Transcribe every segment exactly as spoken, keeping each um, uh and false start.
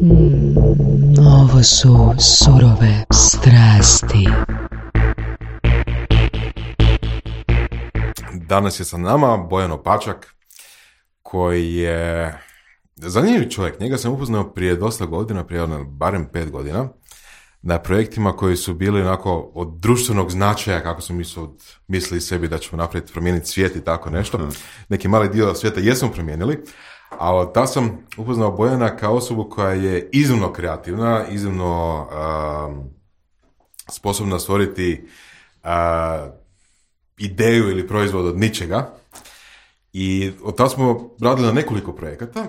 Mm, ovo su surove strasti. Danas je sa nama Bojan Opačak, koji je zanimljiv čovjek. Njega sam upoznao prije dosta godina, prije barem pet godina, na projektima koji su bili onako od društvenog značaja, kako smo mislili sebi da ćemo napraviti, promijeniti svijet i tako nešto. Neki mali dio svijeta jesmo promijenili, a ta sam upoznao Bojana kao osobu koja je iznimno kreativna, iznimno um, sposobna stvoriti uh, ideju ili proizvod od ničega. I od tada smo radili na nekoliko projekata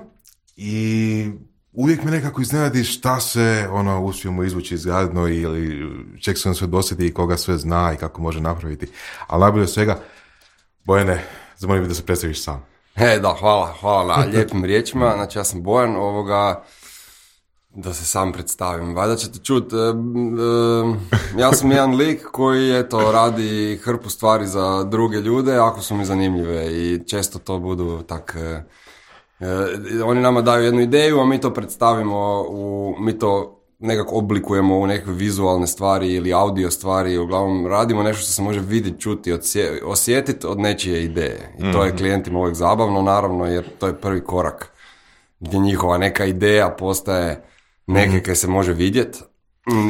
i uvijek me nekako iznenadi šta se ono uspijemo izvući izgradno ili čeg se on sve dosjeti i koga sve zna i kako može napraviti. Ali najbolje od svega, Bojane, zamolio bih da se predstaviš sam. E, da, hvala, hvala na lijepim riječima. Znači, ja sam Bojan, ovoga, da se sam predstavim. Valjda ćete čuti, e, e, ja sam jedan lik koji, eto, radi hrpu stvari za druge ljude, ako su mi zanimljive i često to budu tak... E, e, oni nama daju jednu ideju, a mi to predstavimo, u, mi to nekako oblikujemo u neke vizualne stvari ili audio stvari, uglavnom radimo nešto što se može vidjeti, čuti, odsje, osjetiti od nečije ideje. I to je klijentima uvijek zabavno, naravno, jer to je prvi korak gdje njihova neka ideja postaje neke kaj se može vidjeti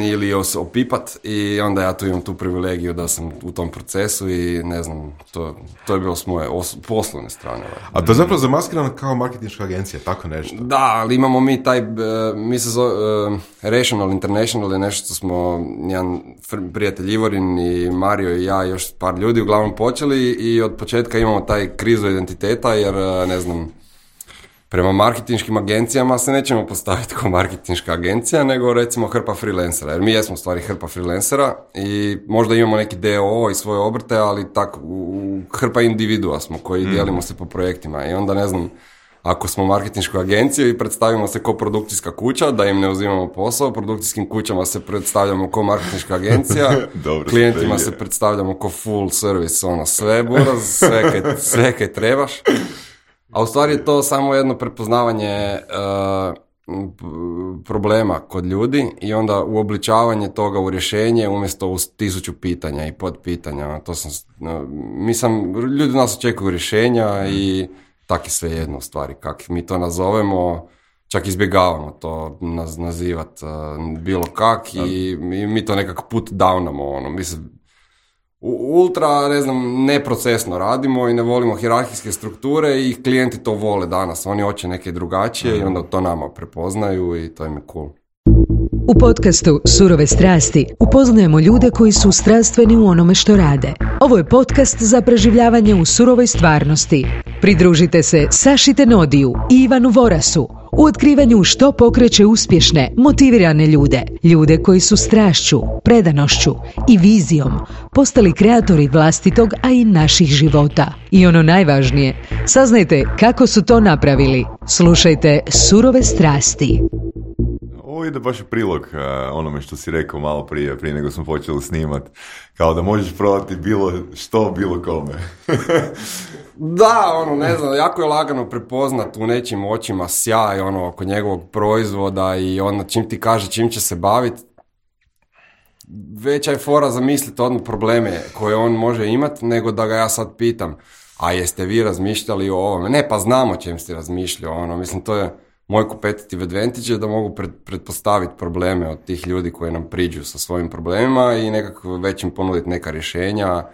ili opipat i onda ja tu imam tu privilegiju da sam u tom procesu i ne znam, to, to je bilo s moje os- poslovne strane. A to je zapravo zamaskirano kao marketinška agencija, tako nešto? Da, ali imamo mi taj, mi se zove uh, Rational International je nešto što smo, jedan prijatelj Ivorin i Mario i ja i još par ljudi uglavnom počeli i od početka imamo taj krizu identiteta jer, ne znam, prema marketinškim agencijama se nećemo postaviti kao marketinška agencija, nego recimo hrpa freelancera, jer mi jesmo u stvari hrpa freelancera i možda imamo neki D O O i svoje obrte, ali tak, u, hrpa individua smo koji mm. dijelimo se po projektima i onda ne znam, ako smo marketinška agencija i predstavimo se kao produkcijska kuća, da im ne uzimamo posao, produkcijskim kućama se predstavljamo kao marketinška agencija, klijentima se predstavljamo kao full service, ono sve buraz, sve kaj, sve kaj trebaš. A u stvari je to samo jedno prepoznavanje uh, problema kod ljudi i onda uobličavanje toga u rješenje umjesto u tisuću pitanja i podpitanja. To sam, uh, mi sam, ljudi nas očekuju rješenja i tak je sve jedno u stvari. Kak mi to nazovemo, čak izbjegavamo to naz, nazivat uh, bilo kak i, i mi to nekako put downamo. Ono. Mi se ultra, ne znam, neprocesno radimo i ne volimo hijerarhijske strukture i klijenti to vole danas. Oni hoće neke drugačije i onda to nama prepoznaju i to im je cool. U podcastu Surove strasti upoznajemo ljude koji su strastveni u onome što rade. Ovo je podcast za preživljavanje u surovoj stvarnosti. Pridružite se Saši Tenodiju i Ivanu Vorasu u otkrivanju što pokreće uspješne, motivirane ljude. Ljude koji su strašću, predanošću i vizijom postali kreatori vlastitog, a i naših života. I ono najvažnije, saznajte kako su to napravili. Slušajte Surove strasti. Ovo ide baš u prilog uh, onome što si rekao malo prije, prije nego smo počeli snimat. Kao da možeš prodati bilo što, bilo kome. Da, ono, ne znam, jako je lagano prepoznat u nečim očima sjaj, ono, oko njegovog proizvoda i ono, čim ti kaže čim će se baviti, veća je fora zamisliti odmah probleme koje on može imati, nego da ga ja sad pitam, a jeste vi razmišljali o ovome? Ne, pa znamo čem ste razmišljali, ono, mislim, to je moj competitive advantage je da mogu pred, pretpostaviti probleme od tih ljudi koji nam priđu sa svojim problemima i nekako već im ponuditi neka rješenja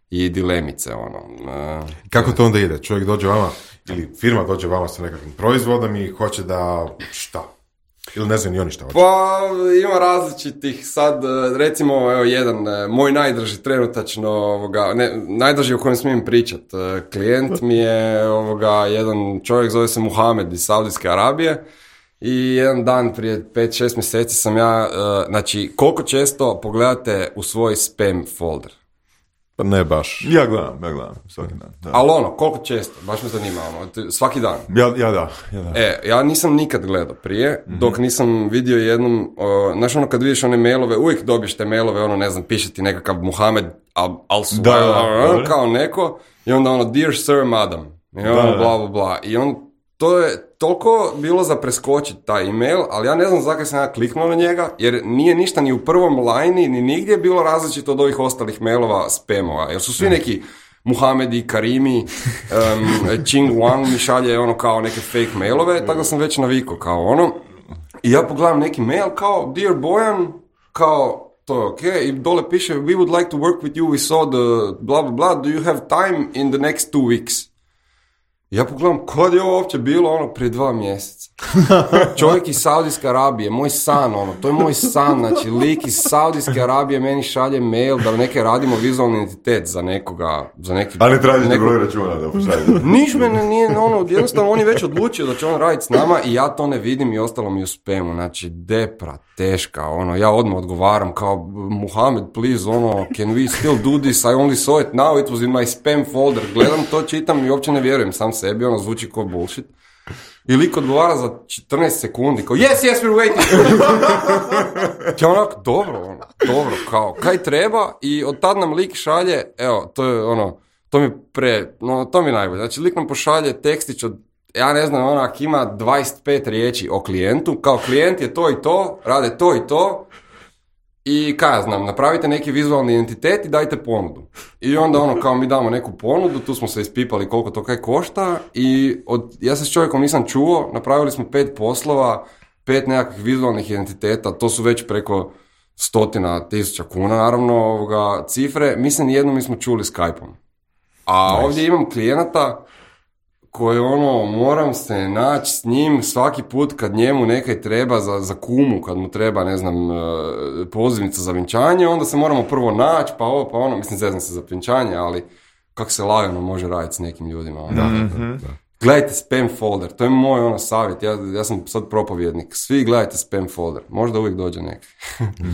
i dilemice, ono. Uh, Kako to onda ide? Čovjek dođe vama, ili firma dođe vama sa nekakvim proizvodom i hoće da šta? Ili ne znam ni oni šta hoće? Pa ima različitih, sad recimo evo jedan, moj najdraži trenutačno, ovoga, ne, najdraži o kojem smijem pričat, klijent mi je ovoga, jedan čovjek zove se Muhamed iz Saudijske Arabije i jedan dan prije pet šest mjeseci sam ja, znači koliko često pogledate u svoj spam folder? Pa ne baš. Ja gledam, ja gledam, svaki dan. Da. Ali ono, koliko često? Baš me zanima, ono, svaki dan. Ja, ja da, ja da. E, ja nisam nikad gledao prije, mm-hmm. dok nisam vidio jednom, uh, znaš ono kad vidiš one mailove, uvijek dobiješ te mailove, ono ne znam, piše ti nekakav Muhamed al, al da, da, kao neko, i onda ono, dear sir, madam, i ono, da, da. bla, bla, bla, i on to je toliko bilo za preskočiti taj email, ali ja ne znam zakaj sam ja kliknuo na njega, jer nije ništa ni u prvom lajni, ni nigdje bilo različito od ovih ostalih mailova spamova, jer su svi neki Muhamedi, Karimi, um, Ching Wang mi šalje ono kao neke fake mailove, tako da sam već navikao kao ono. I ja pogledam neki mail kao Dear Bojan, kao to je ok, i dole piše We would like to work with you, we saw the blah blah blah, do you have time in the next two weeks? Ja pogledam, kod je ovo uopće bilo ono prije dva mjeseca. Čovjek iz Saudijske Arabije, moj san, ono, to je moj san, znači lik iz Saudijske Arabije meni šalje mail da neke radimo vizualni identitet za nekoga, za neki... Ali tražite neko... broj računa da pošaljete. Niš mene nije, ono, jednostavno on je već odlučio da će on raditi s nama i ja to ne vidim i ostalo mi u spamu, znači depra, teška, ono, ja odmah odgovaram kao Muhammed, please, ono, can we still do this, I only saw it now, it was in my spam folder, gledam to, čitam i uopće ne vjerujem sam sebi, ono zvuči kao bullshit. I lik odgovara za četrnaest sekundi, kao yes, yes, we're waiting. Ja onako, dobro, ono, dobro, kao, kaj treba, i od tad nam lik šalje, evo, to je ono, to mi pre, no, to mi najbolje, znači lik nam pošalje tekstić od, ja ne znam, onak ima dvadeset pet riječi o klijentu, kao klijent je to i to, rade to i to, i kaj ja znam, napravite neki vizualni identitet i dajte ponudu. I onda ono, kao mi damo neku ponudu, tu smo se ispipali koliko to kaj košta i od, ja se s čovjekom nisam čuo, napravili smo pet poslova, pet nekakvih vizualnih identiteta, to su već preko stotina tisuća kuna, naravno, ovoga, cifre, mislim nijednom mi smo čuli Skype-om. A nice. Ovdje imam klijenata koje ono, moram se naći s njim svaki put kad njemu nekaj treba za, za kumu, kad mu treba, ne znam, pozivnica za vjenčanje, onda se moramo prvo naći, pa ovo, pa ono, mislim, zeznam se za vjenčanje, ali kako se lagano može raditi s nekim ljudima. Ono. Da, mm-hmm. da, da. Gledajte spam folder, to je moj ono savjet, ja, ja sam sad propovjednik, svi gledajte spam folder, možda uvijek dođe neki.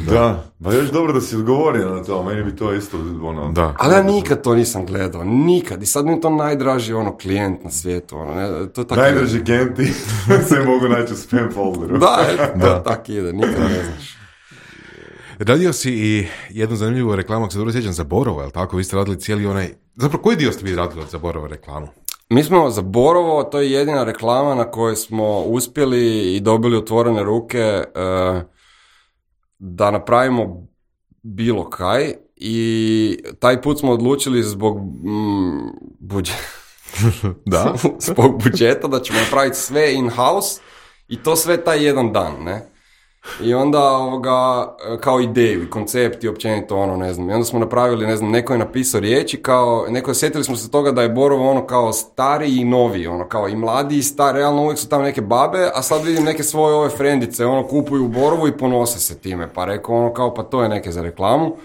Da, pa još dobro da si odgovorio na to, meni bi to isto ono... Da. Ali ja nikad to nisam gledao, nikad, i sad mi je to najdraži ono klijent na svijetu, ono, ne, to tako... Najdraži klijenti se mogu naći u spam folderu. Da, da. tako ide, nikad ne znaš. Radio si i jednu zanimljivu reklamu, ako se dobro sjećam, za Borovo, je li tako? Vi ste radili cijeli onaj... Zapravo, koji dio ste vi radili za Borovo reklamu? Mi smo za Borovo, to je jedina reklama na kojoj smo uspjeli i dobili otvorene ruke uh, da napravimo bilo kaj, i taj put smo odlučili zbog mm, budžeta, da? zbog budžeta da ćemo napraviti sve in-house i to sve taj jedan dan, ne? I onda ovoga, kao ideju i koncept i općenito ono, ne znam, i onda smo napravili, ne znam, neko je napisao riječi kao, neko je, sjetili smo se toga da je Borovo ono kao stari i novi, ono kao i mladi i stari, realno uvijek su tamo neke babe, a sad vidim neke svoje ove frendice, ono kupuju u Borovu i ponose se time, pa rekao ono kao, pa to je neke za reklamu.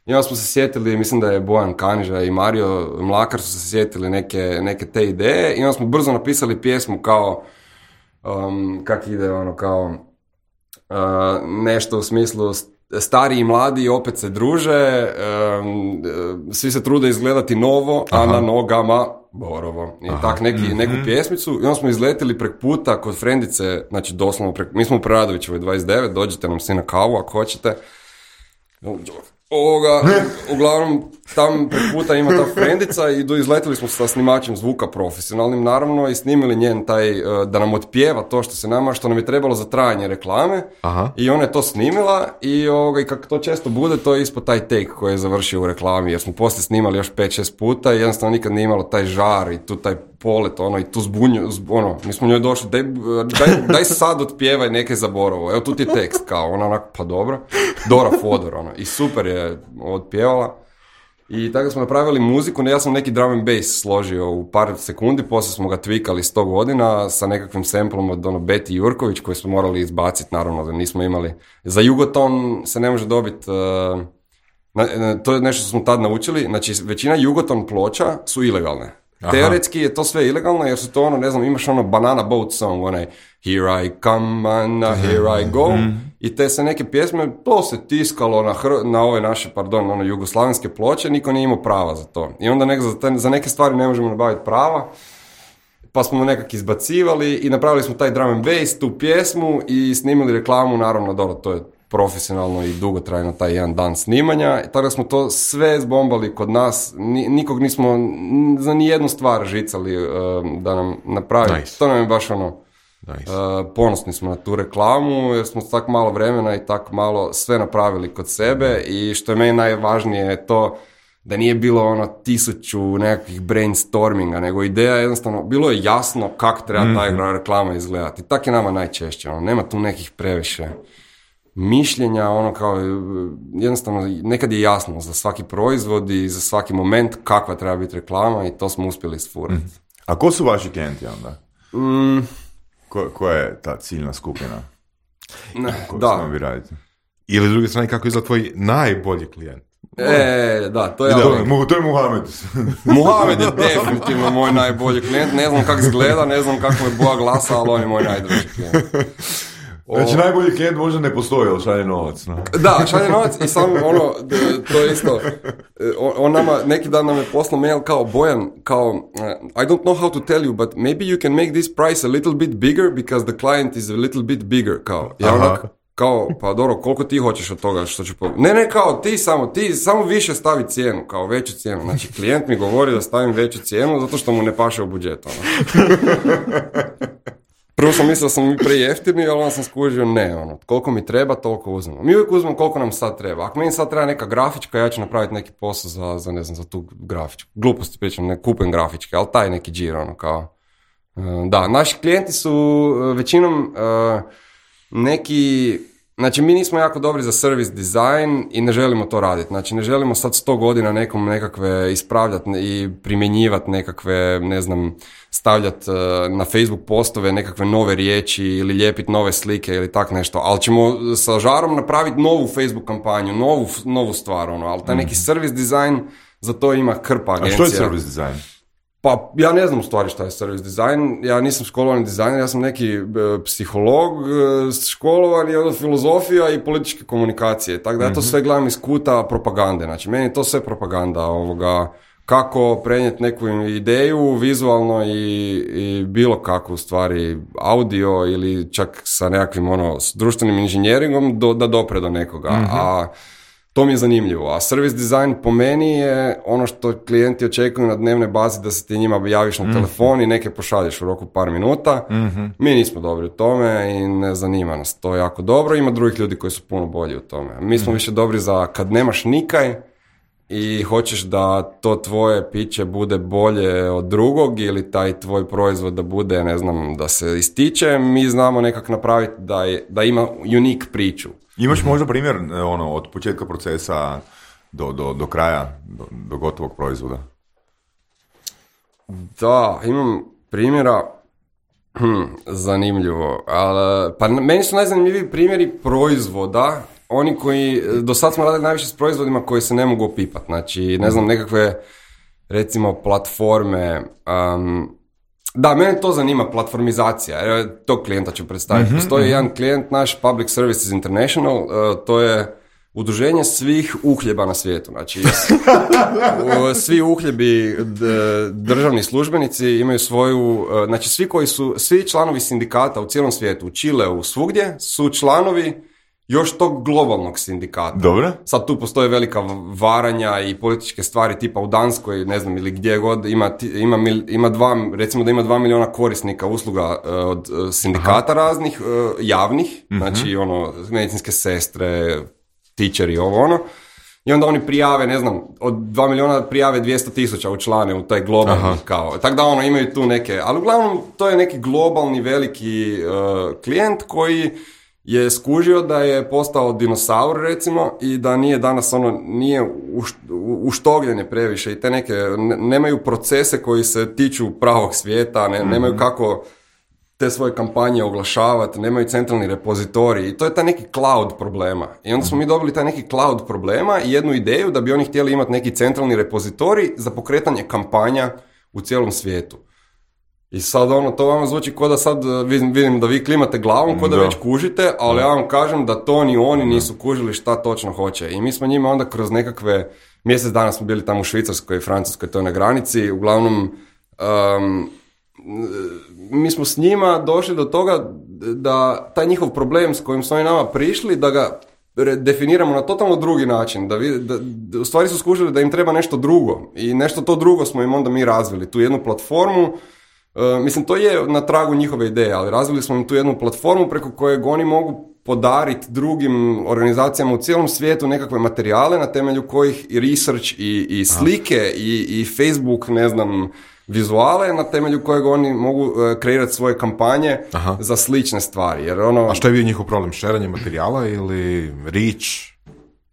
I onda smo se sjetili, mislim da je Bojan Kaniža i Mario Mlakar su se sjetili neke, neke te ideje, i onda smo brzo napisali pjesmu kao, um, kak ide ono kao, Uh, nešto u smislu stari i mladi opet se druže, um, svi se trude izgledati novo, aha, a na nogama Borovo. I tak neki, mm-hmm. neku pjesmicu, i onda smo izletili prek puta kod frendice, znači doslovno prek, mi smo u Preradovićevoj dvadeset devet, dođite nam svi na kavu ako hoćete. Ovoga, uglavnom, tam prek puta ima ta frendica i do, izletili smo sa snimačem zvuka profesionalnim, naravno, i snimili njen taj, da nam otpjeva to što se nama, što nam je trebalo za trajanje reklame. Aha. I ona je to snimila i, ovoga, i kako to često bude, to je ispod taj take koji je završio u reklami, jer smo poslije snimali još pet šest puta i jednostavno nikad nije imalo taj žar i tu taj polet, ono, i tu zbunju, zb, ono, mi smo njoj došli, daj, daj, daj sad otpjevaj neke za Borovo, evo tu ti je tekst, kao, ona onako, pa dobro, Dora Fodor, ono, i super je otpjevala. I tako smo napravili muziku, ja sam neki drum and bass složio u par sekundi, poslije smo ga tvikali sto godina sa nekakvim samplom od ono Beti Jurković koji smo morali izbaciti, naravno da nismo imali. Za Jugoton se ne može dobiti, uh, na, to je nešto što smo tad naučili, znači većina Jugoton ploča su ilegalne. Aha. Teoretski je to sve ilegalno jer su to ono, ne znam, imaš ono Banana Boat song, onaj Here I come and here I go, mm. i te se neke pjesme, to se tiskalo na, hr- na ove naše, pardon, ono jugoslavenske ploče, niko nije imao prava za to. I onda nek- za, te, za neke stvari ne možemo nabaviti prava, pa smo nekak izbacivali i napravili smo taj drum and bass, tu pjesmu i snimili reklamu, naravno, dobro, to je profesionalno i dugotrajno taj jedan dan snimanja, tako da smo to sve zbombali kod nas, nikog nismo za nijednu stvar žicali uh, da nam napravi, nice. To nam je baš ono, nice. uh, ponosni smo na tu reklamu, jer smo tak malo vremena i tak malo sve napravili kod sebe i što je meni najvažnije je to da nije bilo ono tisuću nekakvih brainstorminga, nego ideja jednostavno, bilo je jasno kako treba mm-hmm. ta reklama izgledati. Tak je nama najčešće, ono, nema tu nekih previše mišljenja, ono kao, jednostavno, nekad je jasno za svaki proizvod i za svaki moment kakva treba biti reklama i to smo uspjeli isfurati. Mm. A ko su vaši klijenti onda? Mm. Ko, koja je ta ciljna skupina? Ne, koju da. vi radite? Ili s druge strane, kako izgleda tvoj najbolji klijent? E, da, to je... Da, to, to je Muhamed. Muhamed je definitivno moj najbolji klijent, ne znam kako izgleda, ne znam kako je boja glasa, ali on je moj najdruži klijent. Znači, o... najbolji klijent možda ne postoji, ali šalje novac. No. Da, šalje novac i samo ono, to je isto, on, on nama, neki dan nam je poslao mail kao Bojan, kao, I don't know how to tell you, but maybe you can make this price a little bit bigger because the client is a little bit bigger, kao. Ja onak, kao, pa dobro, koliko ti hoćeš od toga što ću po... Ne, ne, kao, ti samo, ti samo više stavi cijenu, kao veću cijenu. Znači, klijent mi govori da stavim veću cijenu zato što mu ne paše u budžet, ono. Prvo sam mislio da sam mi prejeftini, ali onda sam skužio, ne, ono, koliko mi treba, toliko uzmemo. Mi uvijek uzmemo koliko nam sad treba. Ako meni sad treba neka grafička, ja ću napraviti neki posao za, za ne znam, za tu grafičku. Gluposti pričam, ne kupujem grafičke, ali taj neki džir, ono, kao... Da, naši klijenti su većinom... Uh, neki, znači mi nismo jako dobri za service design i ne želimo to raditi, znači ne želimo sad sto godina nekom nekakve ispravljati i primjenjivati nekakve, ne znam, stavljati uh, na Facebook postove nekakve nove riječi ili lijepiti nove slike ili tak nešto, ali ćemo sa žarom napraviti novu Facebook kampanju, novu, novu stvar, ono, ali taj neki service design, za to ima krpa agencija. A što je service design? Pa, ja ne znam u stvari šta je service design, ja nisam školovani dizajner, ja sam neki e, psiholog, e, školovani od filozofija i političke komunikacije, tako da ja to sve gledam iz kuta propagande, znači meni je to sve propaganda, ovoga, kako prenijeti neku ideju vizualno i, i bilo kako u stvari audio ili čak sa nekakvim ono, s društvenim inženjeringom do, da dopre do nekoga, mm-hmm. a to mi je zanimljivo, a service design po meni je ono što klijenti očekuju na dnevnoj bazi da se ti njima javiš na mm-hmm. telefon i neke pošalješ u roku par minuta. Mm-hmm. Mi nismo dobri u tome i ne zanima nas to jako dobro. Ima drugih ljudi koji su puno bolji u tome. Mi smo mm-hmm. više dobri za kad nemaš nikaj i hoćeš da to tvoje piće bude bolje od drugog ili taj tvoj proizvod da bude, ne znam, da se ističe, mi znamo nekak napraviti da, je, da ima unique priču. Imaš možda primjer ono, od početka procesa do, do, do kraja, do, do gotovog proizvoda? Da, imam primjera, hm, zanimljivo, ali, pa meni su najzanimljiviji primjeri proizvoda, oni koji, do sad smo radili najviše s proizvodima koji se ne mogu opipati, znači, ne znam, nekakve, recimo, platforme, um, da, mene to zanima, platformizacija, evo, tog klijenta ću predstaviti. Mm-hmm, Postoji mm-hmm. jedan klijent, naš Public Services International, uh, to je udruženje svih uhljeba na svijetu. Znači, svi uhljebi, d- državni službenici imaju svoju, uh, znači svi koji su, svi članovi sindikata u cijelom svijetu, u Čileu, svugdje, su članovi još tog globalnog sindikata. Dobro. Sad tu postoje velika varanja i političke stvari tipa u Danskoj, ne znam, ili gdje god, ima, ima, ima dva, recimo da ima dva milijuna korisnika usluga uh, od uh, sindikata Aha. raznih, uh, javnih, mm-hmm. znači ono, medicinske sestre, teacheri, ovo ono. I onda oni prijave, ne znam, od dva milijuna prijave dvjesto tisuća učlane u taj globalni Aha. kao. Tako da ono, imaju tu neke, ali uglavnom to je neki globalni veliki uh, klijent koji je skužio da je postao dinosaur, recimo, i da nije danas ono, nije uštogljen je previše i te neke, ne, nemaju procese koji se tiču pravog svijeta, ne, mm-hmm. nemaju kako te svoje kampanje oglašavati, nemaju centralni repozitorij i to je taj neki cloud problema. I onda smo mi dobili taj neki cloud problema i jednu ideju da bi oni htjeli imati neki centralni repozitorij za pokretanje kampanja u cijelom svijetu. I sad ono, to vama zvuči kao da sad vidim, vidim da vi klimate glavom, kao da, da već kužite, ali da. Ja vam kažem da to ni oni nisu kužili šta točno hoće. I mi smo njima onda kroz nekakve, mjesec dana smo bili tamo u Švicarskoj i Francuskoj, to je na granici, uglavnom um, mi smo s njima došli do toga da taj njihov problem s kojim su oni nama prišli, da ga definiramo na totalno drugi način, da, vi, da, da u stvari su skužili da im treba nešto drugo i nešto to drugo smo im onda mi razvili, tu jednu platformu, uh, mislim to je na tragu njihove ideje, ali razvili smo im tu jednu platformu preko kojeg oni mogu podariti drugim organizacijama u cijelom svijetu nekakve materijale na temelju kojih i research i, i slike i, i Facebook, ne znam, vizuale na temelju kojeg oni mogu uh, kreirati svoje kampanje Aha. za slične stvari. Jer ono... A što je bio njihov problem? Šeranje materijala ili reach?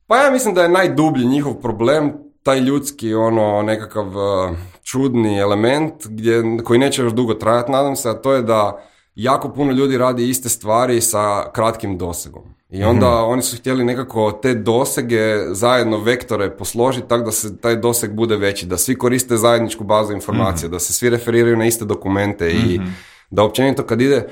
Pa ja mislim da je najdublji njihov problem taj ljudski, ono, nekakav uh, čudni element gdje, koji neće još dugo trajati, nadam se, a to je da jako puno ljudi radi iste stvari sa kratkim dosegom. I onda mm-hmm. oni su htjeli nekako te dosege zajedno vektore posložiti tako da se taj doseg bude veći, da svi koriste zajedničku bazu informacija, mm-hmm. da se svi referiraju na iste dokumente mm-hmm. i da općenito kad ide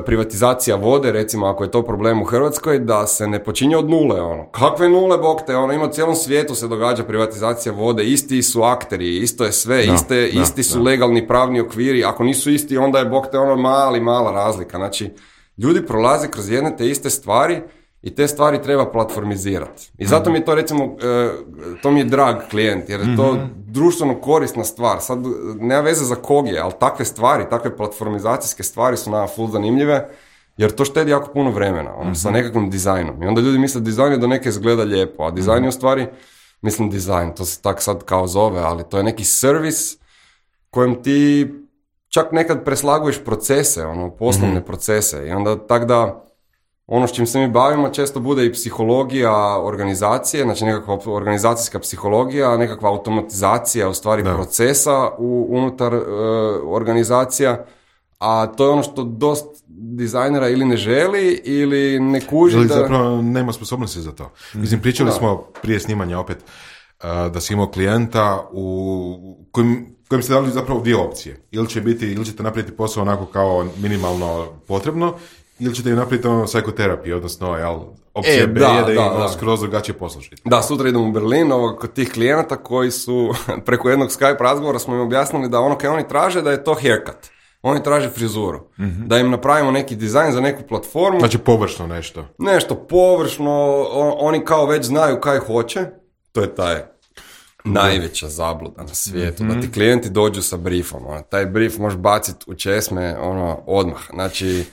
privatizacija vode, recimo ako je to problem u Hrvatskoj, da se ne počinje od nule, ono. Kakve nule, bog te, ono, ima u cijelom svijetu se događa privatizacija vode, isti su akteri, isto je sve, da, iste, da, isti su da. legalni pravni okviri, ako nisu isti, onda je bog te ono mali, mala razlika, znači ljudi prolaze kroz jedne te iste stvari i te stvari treba platformizirati. I zato mi je to, recimo, to mi je drag klijent, jer je to društveno korisna stvar. Sad, nema veze za kog je, ali takve stvari, takve platformizacijske stvari su nama full zanimljive, jer to štedi jako puno vremena, ono, sa nekakvim dizajnom. I onda ljudi misle dizajn je do neke izgleda lijepo, a dizajn je u stvari, mislim dizajn, to se tak sad kao zove, ali to je neki servis kojem ti čak nekad preslaguješ procese, ono, poslovne mm-hmm. procese. I onda tak da ono s čim se mi bavimo često bude i psihologija organizacije, znači nekakva organizacijska psihologija, nekakva automatizacija u stvari da. procesa u, unutar uh, organizacija, a to je ono što dosta dizajnera ili ne želi ili ne kuži ili da... zapravo nema sposobnosti za to. Mislim, pričali da. smo prije snimanja opet uh, da si imao klijenta u kojem, kojem ste dali zapravo dvije opcije. Ili će biti, ili ćete napraviti posao onako kao minimalno potrebno, ili ćete im napraviti ono psihoterapiju, odnosno, jel, opcija e, B da, je da, da im da. skroz drugačije poslušati. Da, sutra idemo u Berlin, ovo, kod tih klijenata koji su, preko jednog Skype razgovora smo im objasnili da ono kaj oni traže da je to haircut. Oni traže frizuru. Mm-hmm. Da im napravimo neki dizajn za neku platformu. Znači površno nešto. Nešto površno, on, oni kao već znaju kaj hoće. To je taj najveća zabluda na svijetu, mm-hmm. da ti klijenti dođu sa briefom. Ono, taj brief možeš baciti u česme ono, odmah. Znači,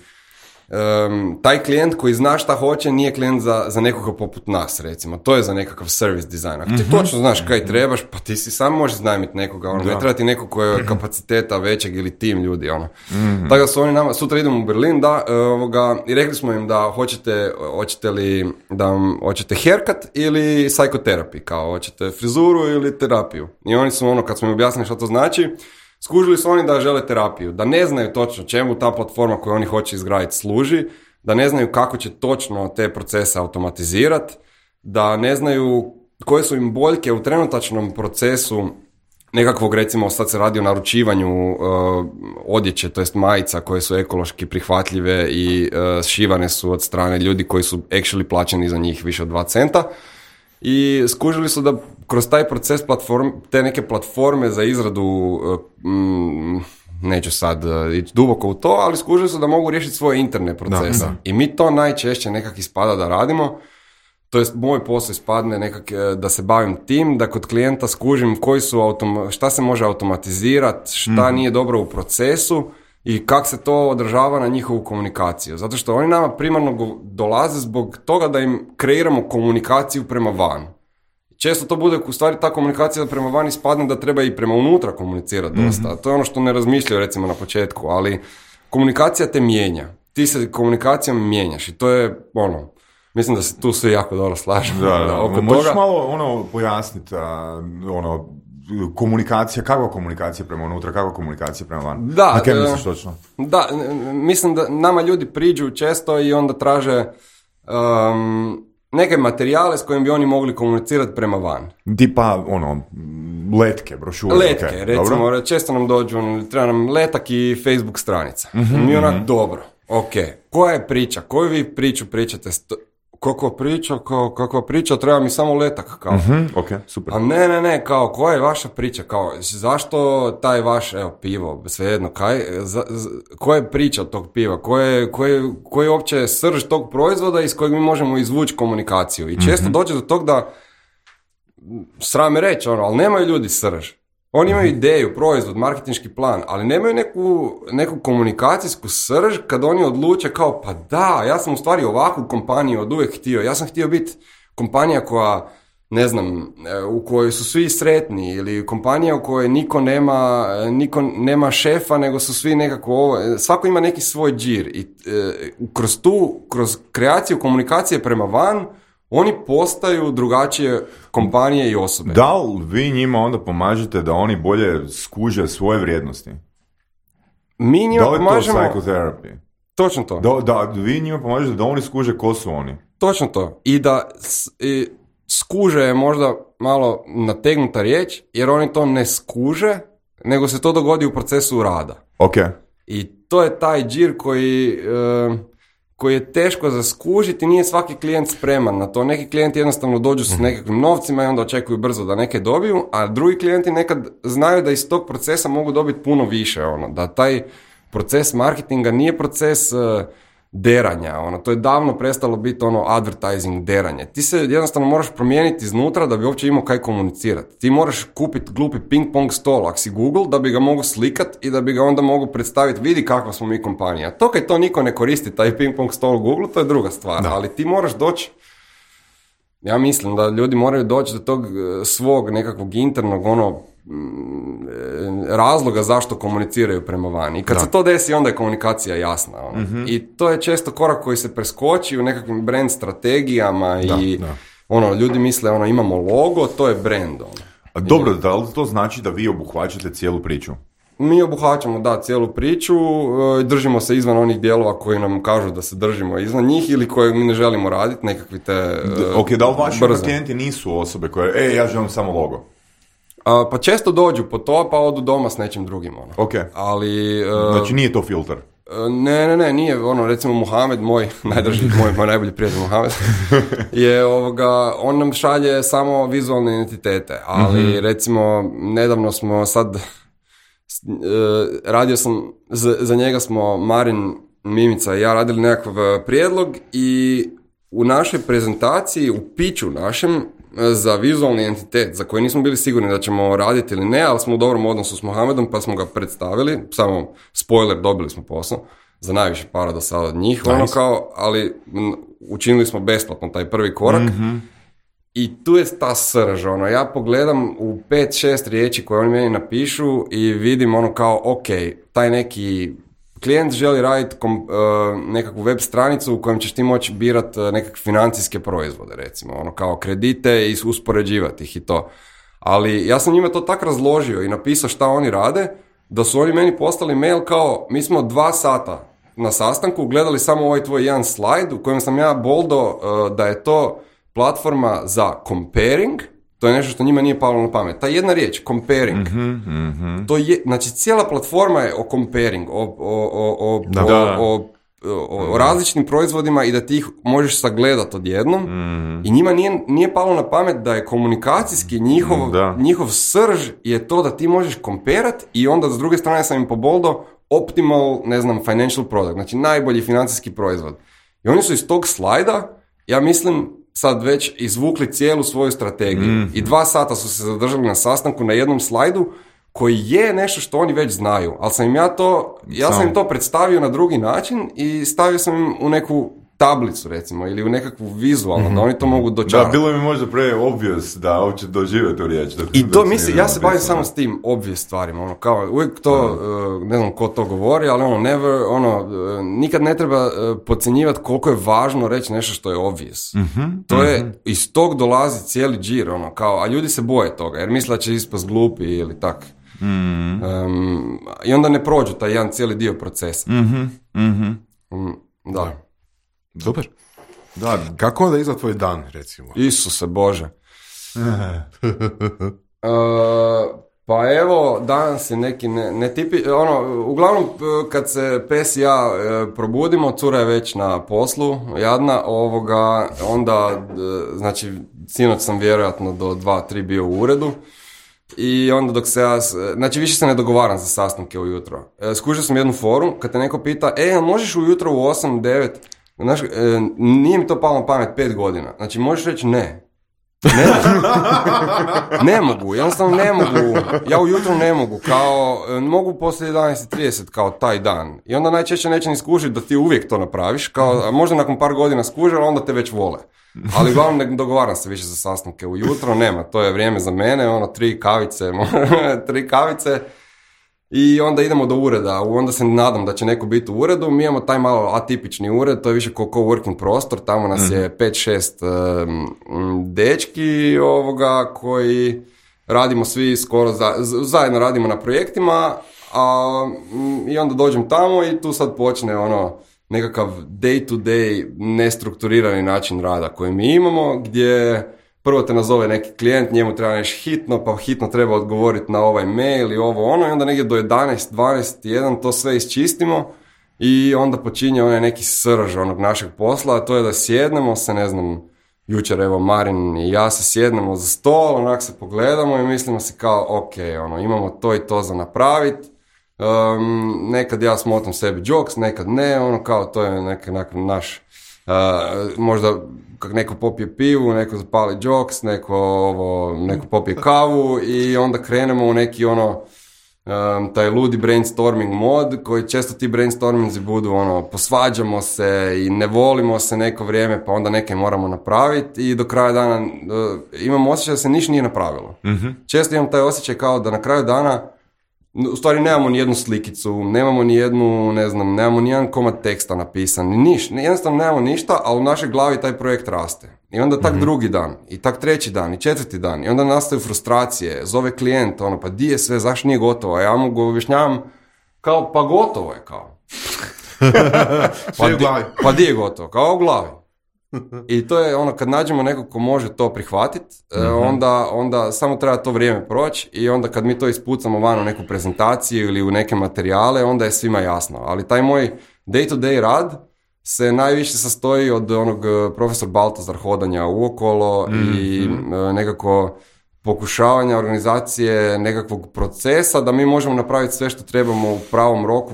um, taj klijent koji zna šta hoće nije klijent za, za nekoga poput nas, recimo. To je za nekakav service design. Ako ti mm-hmm. točno znaš kaj trebaš, pa ti si sam možeš znajmiti nekoga. Ono, ne treba ti nekog koji je kapaciteta većeg ili tim ljudi. Ono. Mm-hmm. Tako da su oni nama, sutra idemo u Berlin, da, ovoga, i rekli smo im da hoćete, hoćete li, da hoćete haircut ili psychotherapy, kao hoćete frizuru ili terapiju. I oni su ono, kad smo im objasnili što to znači, skužili su oni da žele terapiju, da ne znaju točno čemu ta platforma koju oni hoće izgraditi služi, da ne znaju kako će točno te procese automatizirati, da ne znaju koje su im boljke u trenutačnom procesu nekakvog, recimo sad se radi o naručivanju uh, odjeće, to jest majica koje su ekološki prihvatljive i uh, šivane su od strane ljudi koji su actually plaćeni za njih više od dva centa. I skužili su da kroz taj proces platform, te neke platforme za izradu, mm, neću sad ići duboko u to, ali skužili su da mogu riješiti svoje interne procese. Da, da. I mi to najčešće nekak ispada da radimo, to jest moj posao ispadne nekak da se bavim tim, da kod klijenta skužim koji su autom- šta se može automatizirati, šta mm. nije dobro u procesu i kako se to odražava na njihovu komunikaciju. Zato što oni nama primarno dolaze zbog toga da im kreiramo komunikaciju prema van. Često to bude, u stvari ta komunikacija prema van ispadne da treba i prema unutra komunicirati dosta. Mm-hmm. To je ono što ne razmišljaju recimo na početku, ali komunikacija te mijenja. Ti se komunikacijom mijenjaš i to je ono, mislim da se tu svi jako dobro slažemo. Da, da. Oko možeš toga... malo ono pojasniti, ono, komunikacija, kakva komunikacija prema unutra, kakva komunikacija prema van? Da, na kaj misliš točno? Da, mislim da nama ljudi priđu često i onda traže um, neke materijale s kojim bi oni mogli komunicirati prema van. Tipa, ono, letke, brošure. Letke, okay, recimo, dobro? Često nam dođu, treba nam letak i Facebook stranica. Mm-hmm, mi onak, mm-hmm. dobro, ok, koja je priča, koju vi priču pričate, sto, kakva priča, kao, kakva priča, treba mi samo letak, kao. Mm-hmm, ok, super. A ne, ne, ne, kao, koja je vaša priča, kao, zašto taj vaš, evo, pivo, svejedno, kaj, za, za, koja je priča tog piva, koja je, koja je, koja je uopće srž tog proizvoda iz kojeg mi možemo izvući komunikaciju. I često mm-hmm. dođe do tog da, srame reći, ono, ali nemaju ljudi srž. Oni imaju ideju, proizvod, marketinški plan, ali nemaju neku, neku komunikacijsku srž kad oni odluče kao, pa da, ja sam u stvari ovakvu kompaniju od uvijek htio. Ja sam htio biti kompanija koja, ne znam, u kojoj su svi sretni, ili kompanija u kojoj niko nema, niko nema šefa, nego su svi nekako ovo, svako ima neki svoj džir. I e, kroz tu, kroz kreaciju komunikacije prema van, oni postaju drugačije kompanije i osobe. Da li vi njima onda pomažete da oni bolje skuže svoje vrijednosti? Mi njima pomažemo... Da li je to psychotherapy? Točno to. Da, da, vi njima pomažete da oni skuže ko su oni? Točno to. I da i skuže je možda malo nategnuta riječ, jer oni to ne skuže, nego se to dogodi u procesu rada. Ok. I to je taj džir koji... Uh, koji je teško za skužiti, nije svaki klijent spreman na to. Neki klijenti jednostavno dođu s nekakvim novcima i onda očekuju brzo da neke dobiju, a drugi klijenti nekad znaju da iz tog procesa mogu dobiti puno više. Ono, da taj proces marketinga nije proces uh, deranja. Ono, to je davno prestalo biti ono advertising deranje. Ti se jednostavno moraš promijeniti iznutra da bi uopće imao kaj komunicirati. Ti moraš kupiti glupi ping pong stol, ako si Google, da bi ga mogu slikat i da bi ga onda mogu predstaviti, vidi kakva smo mi kompanija. To kad to niko ne koristi, taj ping pong stol u Google, to je druga stvar. Da. Ali ti moraš doći, ja mislim da ljudi moraju doći do tog svog nekakvog internog ono razloga zašto komuniciraju prema vani. I kad da. se to desi, onda je komunikacija jasna. Ono. Mm-hmm. I to je često korak koji se preskoči u nekakvim brand strategijama da, i da. ono, ljudi misle ono, imamo logo, to je brand. Ono. A dobro, da li to znači da vi obuhvaćate cijelu priču? Mi obuhvaćamo, da, cijelu priču, držimo se izvan onih dijelova koji nam kažu da se držimo izvan njih ili koje mi ne želimo raditi, nekakvi te uh, ok, da li vaši klijenti nisu osobe koje, e, ja želim samo logo? Uh, pa često dođu po to, pa odu doma s nečim drugim. Ono. Ok. Ali, uh, znači nije to filter? Uh, ne, ne, ne, nije. Ono, recimo Muhamed, moj najdrži, moj, moj najbolji prijatelj Muhamed, je ovoga, on nam šalje samo vizualne identitete. Ali mm-hmm. recimo, nedavno smo sad, uh, radio sam, za, za njega smo Marin, Mimica i ja radili nekakav prijedlog i u našoj prezentaciji, u piću našem, za vizualni entitet, za koji nismo bili sigurni da ćemo raditi ili ne, ali smo u dobrom odnosu s Mohamedom, pa smo ga predstavili, samo spoiler, dobili smo posao, za najviše para do sada od njih, nice. ono kao, ali m, učinili smo besplatno taj prvi korak, mm-hmm. i tu je ta srž, ono, ja pogledam u pet šest riječi koje oni meni napišu i vidim ono kao, ok, taj neki klijent želi raditi kom, uh, nekakvu web stranicu u kojem ćeš ti moći birati uh, nekakve financijske proizvode, recimo, ono kao kredite i uspoređivati ih i to. Ali ja sam njima to tak razložio i napisao šta oni rade, da su oni meni poslali mail kao, mi smo dva sata na sastanku gledali samo ovaj tvoj jedan slajd u kojem sam ja boldo uh, da je to platforma za comparing. To je nešto što njima nije palo na pamet. Ta jedna riječ, comparing, mm-hmm, mm-hmm. to je, znači cijela platforma je o comparing, o, o, o, o, o, o, o, o različitim proizvodima i da ti ih možeš sagledati odjednom. Mm-hmm. I njima nije, nije palo na pamet da je komunikacijski njihov, njihov srž je to da ti možeš komperat i onda s druge strane sam im poboldo optimal, ne znam, financial product, znači najbolji financijski proizvod. I oni su iz tog slajda, ja mislim, sad već izvukli cijelu svoju strategiju. Mm. I dva sata su se zadržali na sastanku na jednom slajdu koji je nešto što oni već znaju. Ali sam im ja to, ja sam im to predstavio na drugi način i stavio sam im u neku tablicu, recimo, ili u nekakvu vizualnu, mm-hmm. da oni to mogu dočarati. Da, bilo mi možda pre obvious da uopće dožive tu riječ. Da, I to mislim, ja se bavim samo s tim obvious stvarima, ono, kao, uvijek to, uh, ne znam ko to govori, ali ono, never, ono, uh, nikad ne treba uh, podcjenjivati koliko je važno reći nešto što je obvious. Mm-hmm. To je, mm-hmm. iz tog dolazi cijeli džir, ono, kao, a ljudi se boje toga, jer misle da će ispast glupi ili tak. Mm-hmm. Um, I onda ne prođu taj jedan cijeli dio procesa. Mm-hmm. Mm-hmm. Um, da. Super. Da, kako onda izgleda tvoj dan, recimo? Isuse Bože. uh, Pa evo, danas je neki ne, ne tipi, ono, uglavnom kad se Pes i ja e, probudimo, cura je već na poslu, jadna, ovoga, onda, e, znači, sinoć sam vjerojatno do dva, tri bio u uredu i onda dok se ja, znači više se ne dogovaram za sastanke ujutro. E, skužio sam jednu forum, kad te neko pita, e, možeš ujutro u osam, devet, znaš, e, nije mi to palo na pamet pet godina, znači možeš reći ne. Ne, ne mogu, jednostavno ne mogu, ja ujutro ne mogu, kao, mogu poslije jedanaest trideset kao taj dan i onda najčešće neće ni skužiti da ti uvijek to napraviš, kao, a možda nakon par godina skuži, ali onda te već vole, ali uglavnom ne dogovaram se više za sastanke ujutro, nema, to je vrijeme za mene, ono, tri kavice, tri kavice i onda idemo do ureda, onda se nadam da će neko biti u uredu, mi imamo taj malo atipični ured, to je više kao coworking prostor, tamo nas je pet šest um, dečki ovoga koji radimo svi skoro za, zajedno radimo na projektima, a, um, i onda dođem tamo i tu sad počne ono nekakav day to day nestrukturirani način rada koji mi imamo, gdje prvo te nazove neki klijent, njemu treba nešto hitno, pa hitno treba odgovoriti na ovaj mail i ovo ono, i onda negdje do jedanaest, dvanaest, jedan to sve isčistimo i onda počinje onaj neki srž onog našeg posla, a to je da sjednemo se, ne znam, jučer evo Marin i ja se sjednemo za stol, onak se pogledamo i mislimo si kao, ok, ono, imamo to i to za napraviti, um, nekad ja smotam sebi jokes, nekad ne, ono kao to je neki naš, uh, možda kak neko popije pivu, neko zapali jokes, neko, ovo, neko popije kavu i onda krenemo u neki ono, um, taj ludi brainstorming mod, koji često ti brainstorminzi budu ono, posvađamo se i ne volimo se neko vrijeme, pa onda neke moramo napraviti i do kraja dana uh, imam osjećaj da se ništa nije napravilo. Mm-hmm. Često imam taj osjećaj kao da na kraju dana u stvari nemamo ni jednu slikicu, nemamo ni jednu, ne znam, nemamo ni jedan komad teksta napisan, ni niš, jednostavno nemamo ništa, ali u našoj glavi taj projekt raste. I onda tak mm-hmm. drugi dan, i tak treći dan, i četvrti dan, i onda nastaju frustracije, zove klijent, ono, pa di je sve, zašto nije gotovo, a ja mu go objašnjavam, kao, pa gotovo je, kao. pa, di, pa di je gotovo, kao u glavi. I to je ono, kad nađemo nekog ko može to prihvatiti, mm-hmm. onda, onda samo treba to vrijeme proći i onda kad mi to ispucamo van u neku prezentaciju ili u neke materijale, onda je svima jasno. Ali taj moj day to day rad se najviše sastoji od onog profesor Baltazar hodanja uokolo mm-hmm. i nekako pokušavanja organizacije nekakvog procesa da mi možemo napraviti sve što trebamo u pravom roku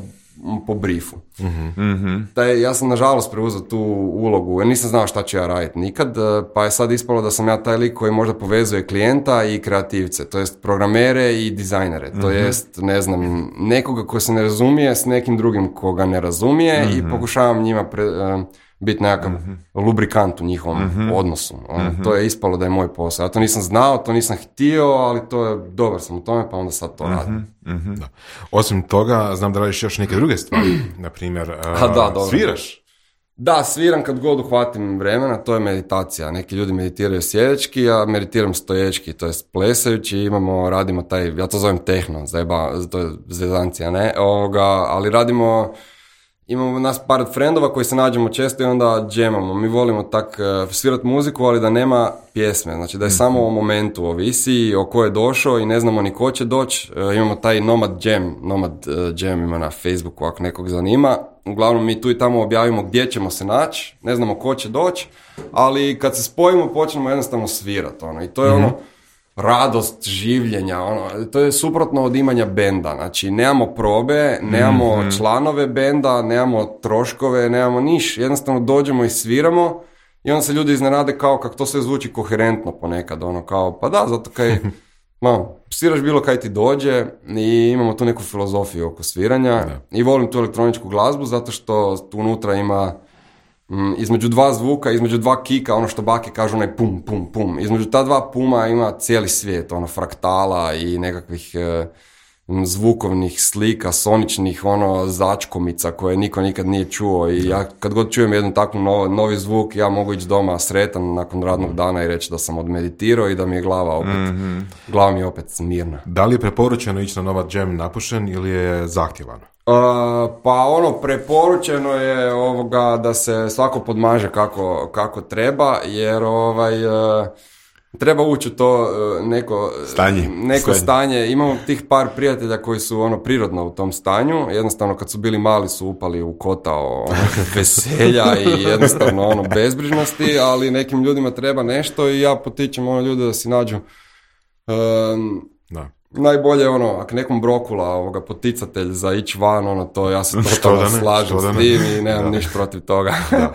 po briefu. Mm-hmm. Taj, ja sam nažalost preuzeo tu ulogu, jer nisam znao šta ću ja raditi nikad, pa je sad ispalo da sam ja taj lik koji možda povezuje klijenta i kreativce, to jest programere i dizajnere, mm-hmm. to jest, ne znam, nekoga ko se ne razumije s nekim drugim koga ne razumije mm-hmm. i pokušavam njima pre, uh, biti nekakav mm-hmm. lubrikant u njihovom mm-hmm. odnosu. Ono, mm-hmm. To je ispalo da je moj posao. Ja to nisam znao, to nisam htio, ali to je, dobar sam u tome, pa onda sad to mm-hmm. radim. Mm-hmm. Da. Osim toga, znam da radiš još neke druge stvari. Na primjer, uh, da, sviraš? Da, sviram kad god uhvatim vremena, to je meditacija. Neki ljudi meditiraju sjedički, ja meditiram stoječki, to je plesajući, imamo, radimo taj, ja to zovem tehno, zajeba, to je zezancija, ne, ovoga, ali radimo... Imamo nas par frendova koji se nađemo često i onda džemamo. Mi volimo tak uh, svirati muziku, ali da nema pjesme. Znači da je mm-hmm. samo o momentu, ovisi o ko je došao i ne znamo ni ko će doći. Uh, imamo taj Nomad Jam, Nomad uh, Jam ima na Facebooku ako nekog zanima. Uglavnom mi tu i tamo objavimo gdje ćemo se naći, ne znamo ko će doći, ali kad se spojimo počnemo jednostavno svirati. Ono. I to je mm-hmm. ono radost življenja, ono, to je suprotno od imanja benda, znači nemamo probe, nemamo mm-hmm. članove benda, nemamo troškove, nemamo niš, jednostavno dođemo i sviramo i onda se ljudi iznenade kao kako to sve zvuči koherentno ponekad, ono kao, pa da, zato kaj, ma, sviraš bilo kaj ti dođe i imamo tu neku filozofiju oko sviranja da. I volim tu elektroničku glazbu zato što tu unutra ima između dva zvuka, između dva kika, ono što bake kažu onaj pum, pum, pum. Između ta dva puma ima cijeli svijet, ono fraktala i nekakvih e, zvukovnih slika, soničnih, ono začkomica koje niko nikad nije čuo i ja kad god čujem jedan takvu novi, novi zvuk, ja mogu ići doma sretan nakon radnog dana i reći da sam odmeditirao i da mi je glava opet, mm-hmm. glava mi je opet smirna. Da li je preporučeno ići na Nomad Jam napušen ili je zahtjevano? Uh, pa ono, preporučeno je ovoga da se svako podmaže kako, kako treba, jer ovaj, uh, treba ući u to uh, neko stanje. neko stanje. stanje. Imamo tih par prijatelja koji su ono prirodno u tom stanju, jednostavno kad su bili mali su upali u kotao ono, veselja i jednostavno ono bezbrižnosti, ali nekim ljudima treba nešto i ja potičem ono ljude da si nađu um, Da. najbolje ono, ako nekom brokula ovoga poticatelj za ići van, ono to ja se totalno slažem s tim i nemam ništa protiv toga. Da.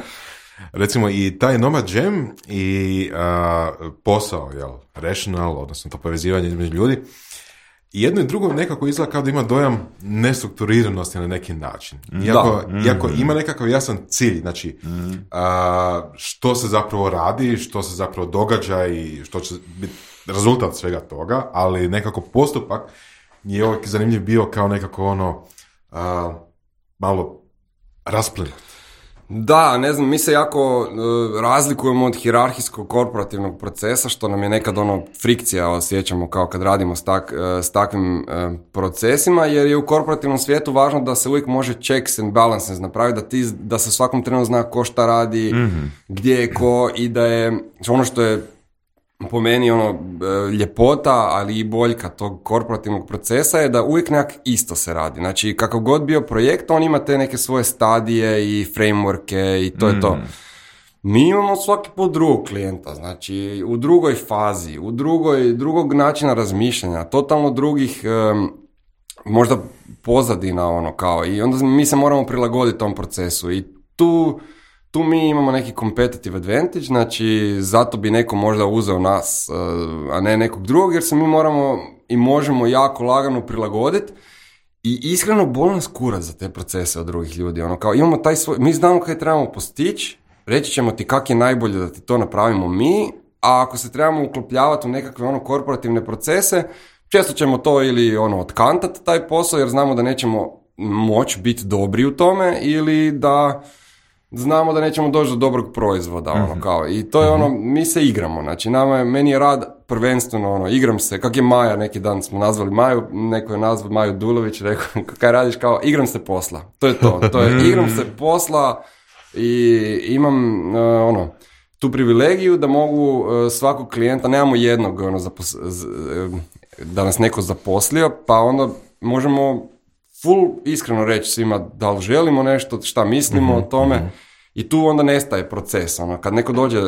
Recimo i taj Nomad Jam i a, posao, jel, rational, odnosno to povezivanje između ljudi, i jedno i drugo nekako izgleda kao da ima dojam nestrukturiranosti na neki način. Iako, Da. iako ima nekakav jasan cilj, znači Mm. a, što se zapravo radi, što se zapravo događa i što će biti rezultat svega toga, ali nekako postupak je uvijek zanimljiv bio kao nekako ono a, malo rasplinut. Da, ne znam, mi se jako uh, razlikujemo od hijerarhijskog korporativnog procesa, što nam je nekad ono frikcija osjećamo kao kad radimo s, tak, uh, s takvim uh, procesima, jer je u korporativnom svijetu važno da se uvijek može checks and balances napraviti, da, ti, da se svakom trenu zna ko šta radi, mm-hmm. gdje je ko i da je ono što je po meni ono ljepota, ali i boljka tog korporativnog procesa je da uvijek nekak isto se radi. Znači, kakav god bio projekt, on ima te neke svoje stadije i frameworke i to mm. je to. Mi imamo svaki put drugog klijenta, znači u drugoj fazi, u drugoj, drugog načina razmišljanja, totalno drugih um, možda pozadina ono kao i onda mi se moramo prilagoditi tom procesu i tu Tu mi imamo neki competitive advantage, znači zato bi neko možda uzeo nas, a ne nekog drugog, jer se mi moramo i možemo jako lagano prilagoditi i iskreno boli nas kurac za te procese od drugih ljudi. Ono, kao imamo taj svoj, mi znamo kaj trebamo postići, reći ćemo ti kak je najbolje da ti to napravimo mi, a ako se trebamo uklopljavati u nekakve ono korporativne procese, često ćemo to ili ono otkantati taj posao jer znamo da nećemo moći biti dobri u tome ili da znamo da nećemo doći do dobrog proizvoda, ono, mm-hmm. kao, i to je ono, mi se igramo, znači, nama je, meni je rad prvenstveno, ono, igram se, kak je Maja, neki dan smo nazvali Maju, neko je nazvao Maju Dulović, rekao, kaj radiš, kao, igram se posla, to je to, to je, igram se posla i imam, uh, ono, tu privilegiju da mogu uh, svakog klijenta, nemamo jednog, ono, zapos, z, da nas neko zaposlio, pa onda možemo full iskreno reći svima da li želimo nešto, šta mislimo mm-hmm. o tome mm-hmm. i tu onda nestaje proces. Ono, kad neko dođe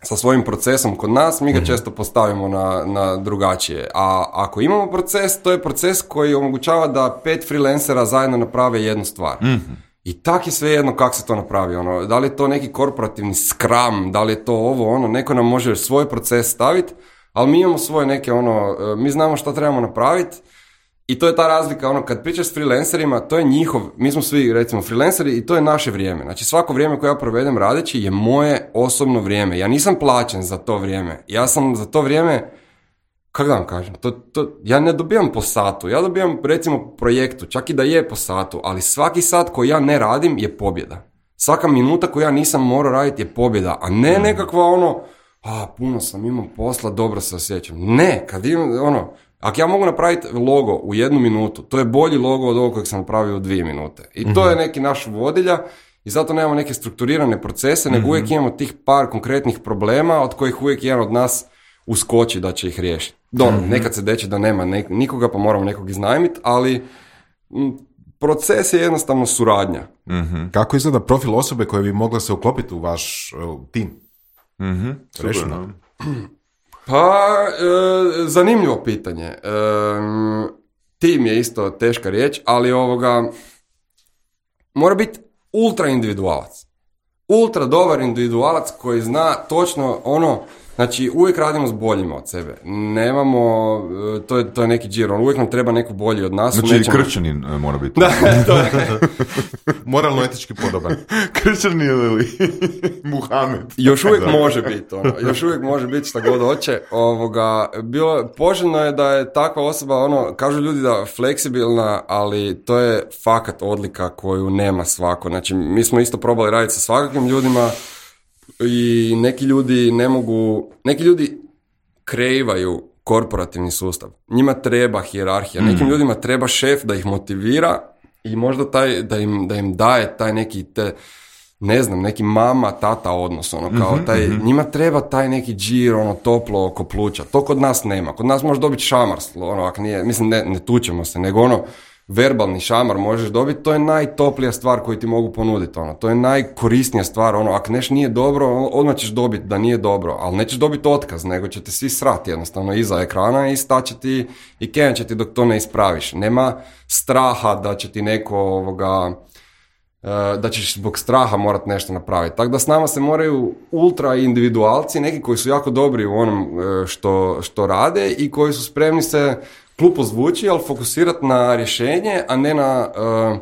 sa svojim procesom kod nas, mi ga mm-hmm. često postavimo na, na drugačije. A ako imamo proces, to je proces koji omogućava da pet freelancera zajedno naprave jednu stvar. Mm-hmm. I tak je svejedno kako se to napravi. Ono, da li je to neki korporativni scrum, da li je to ovo, ono, neko nam može svoj proces staviti, ali mi imamo svoje neke, ono, mi znamo šta trebamo napraviti. I to je ta razlika, ono, kad pričaš s freelancerima, to je njihov, mi smo svi, recimo, freelanceri i to je naše vrijeme. Znači, svako vrijeme koje ja provedem radeći je moje osobno vrijeme. Ja nisam plaćen za to vrijeme. Ja sam za to vrijeme, kako da vam kažem, to, to, ja ne dobijam po satu. Ja dobijam, recimo, projektu, čak i da je po satu, ali svaki sat koji ja ne radim je pobjeda. Svaka minuta koju ja nisam morao raditi je pobjeda, a ne nekakva, ono, a, puno sam imao posla, dobro se osjećam. Ne, kad imam, ono, ako ja mogu napraviti logo u jednu minutu, to je bolji logo od ovog kojeg sam napravio u dvije minute. I to je neki naš vodilja i zato nemamo neke strukturirane procese, nego uvijek imamo tih par konkretnih problema od kojih uvijek jedan od nas uskoči da će ih riješiti. Dobro, nekad se deće da nema nek- nikoga pa moramo nekog iznajmiti, ali m, proces je jednostavno suradnja. Mm-hmm. Kako izgleda profil osobe koja bi mogla se uklopiti u vaš uh, tim? Mm-hmm. Rešeno. Pa, e, zanimljivo pitanje. E, tim je isto teška riječ, ali ovoga mora biti ultra individualac. Ultra dobar individualac koji zna točno ono, znači uvijek radimo s boljima od sebe. Nemamo, to je, to je neki džir, on uvijek nam treba neko bolji od nas. Znači nećemo... kršćanin mora biti. Da, to je. Moralno etički podoban. Kršćanin ili Muhamed. Još uvijek može biti, ono, još uvijek može biti šta god hoće. Ovoga, bilo, poželjno je da je takva osoba, ono, kažu ljudi da fleksibilna, ali to je fakat odlika koju nema svako. Znači, mi smo isto probali raditi sa svakakvim ljudima, i neki ljudi ne mogu, neki ljudi kreiraju korporativni sustav. Njima treba hijerarhija, mm. nekim ljudima treba šef da ih motivira i možda taj, da im, da im daje taj neki te ne znam, neki mama, tata odnos, ono, kao mm-hmm, taj, mm-hmm. njima treba taj neki džir, ono, toplo oko pluća. To kod nas nema. Kod nas možeš dobiti šamar, ono, ako nije, mislim, ne, ne tučemo se, nego ono, verbalni šamar možeš dobiti, to je najtoplija stvar koju ti mogu ponuditi, ono, to je najkorisnija stvar, ono, ako nešto nije dobro, odmah ćeš dobiti da nije dobro, ali nećeš dobiti otkaz, nego će te svi srati jednostavno iza ekrana i staće ti i kevan će ti dok to ne ispraviš. Nema straha da će ti neko ovoga, da ćeš zbog straha morat nešto napraviti. Tako da s nama se moraju ultra individualci, neki koji su jako dobri u onom što, što rade i koji su spremni se glupo zvuči, ali fokusirati na rješenje, a ne na uh,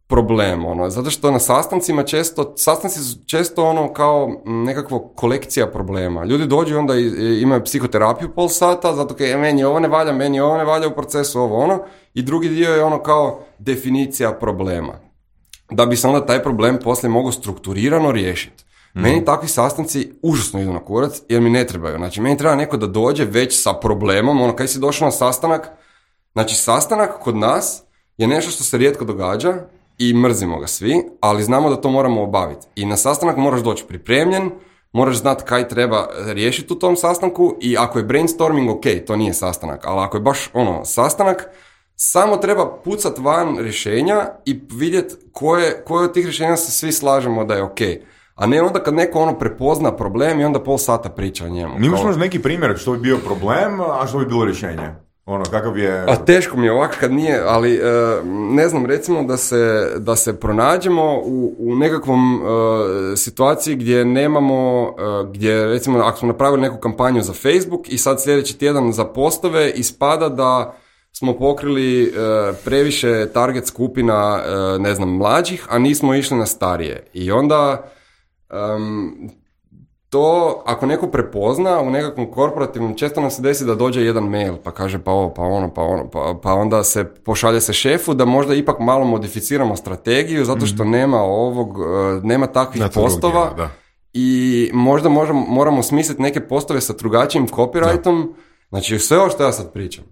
problem. Ono. Zato što na sastancima često, sastanci su često ono kao nekakva kolekcija problema. Ljudi dođu i onda i, imaju psihoterapiju pol sata, zato kaj meni ovo ne valja, meni ovo ne valja u procesu, ovo ono. I drugi dio je ono kao definicija problema. Da bi se onda taj problem poslije mogao strukturirano riješiti. Mm. Meni takvi sastanci užasno idu na kurac jer mi ne trebaju. Znači, meni treba neko da dođe već sa problemom, ono, kaj si došao na sastanak, znači, sastanak kod nas je nešto što se rijetko događa i mrzimo ga svi, ali znamo da to moramo obaviti. I na sastanak moraš doći pripremljen, moraš znati kaj treba riješiti u tom sastanku i ako je brainstorming, ok, to nije sastanak, ali ako je baš ono, sastanak, samo treba pucat van rješenja i vidjeti koje, koje od tih rješenja se svi slažemo da je ok. A ne onda kad neko ono prepozna problem i onda pol sata priča o njemu. Nimaš možda neki primjer što bi bio problem, a što bi bilo rješenje? Ono, kakav je... A teško mi je ovako kad nije, ali e, ne znam, recimo da se, da se pronađemo u, u nekakvom e, situaciji gdje nemamo, e, gdje recimo ako smo napravili neku kampanju za Facebook i sad sljedeći tjedan za postove ispada da smo pokrili e, previše target skupina, e, ne znam, mlađih, a nismo išli na starije. I onda um, to, ako neko prepozna u nekakvom korporativnom, često nam se desi da dođe jedan mail, pa kaže pa ovo, pa ono, pa ono, pa, pa onda se pošalje se šefu da možda ipak malo modificiramo strategiju, zato što mm-hmm. nema ovog, nema takvih na postova dijela, i možda možemo, moramo smisliti neke postove sa drugačijim copyrightom. Da. Znači, sve ovo što ja sad pričam,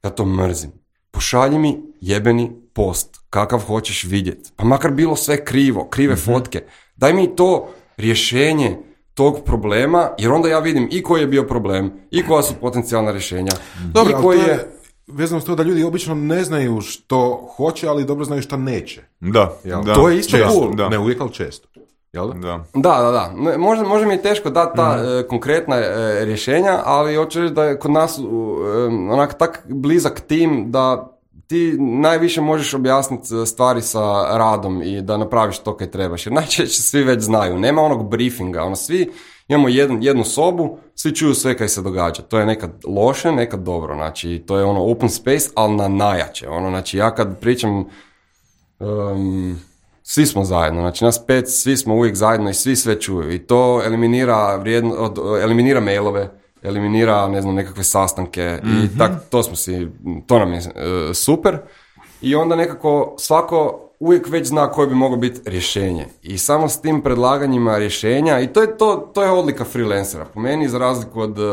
ja to mrzim. Pošalji mi jebeni post, kakav hoćeš vidjeti. Pa makar bilo sve krivo, krive mm-hmm. fotke. Daj mi to rješenje tog problema, jer onda ja vidim i koji je bio problem, i koja su potencijalna rješenja. Dobro, i koji to je, je vezano s to da ljudi obično ne znaju što hoće, ali dobro znaju što neće. Da, da. To je isto često, cool. Da. Ne uvijek, ali često. Jel da? Da, da, da. da. Možda, možda mi je teško dati ta mm. e, konkretna e, rješenja, ali hoću reći da je kod nas e, onak tak blizak tim da ti najviše možeš objasniti stvari sa radom i da napraviš to kaj trebaš. Jer najčešće svi već znaju. Nema onog briefinga. Ono, svi imamo jedan, jednu sobu, svi čuju sve kaj se događa. To je nekad loše, nekad dobro. Znači, to je ono open space, ali na najjače. Ono, znači, ja kad pričam... Um, svi smo zajedno, znači nas pet, svi smo uvijek zajedno i svi sve čuju. I to eliminira, vrijedno, od, eliminira mailove, eliminira, ne znam, nekakve sastanke mm-hmm. i tak, to smo si, to nam je uh, super. I onda nekako svako uvijek već zna koje bi moglo biti rješenje. I samo s tim predlaganjima rješenja, i to je, to, to je odlika freelancera, po meni za razliku od uh,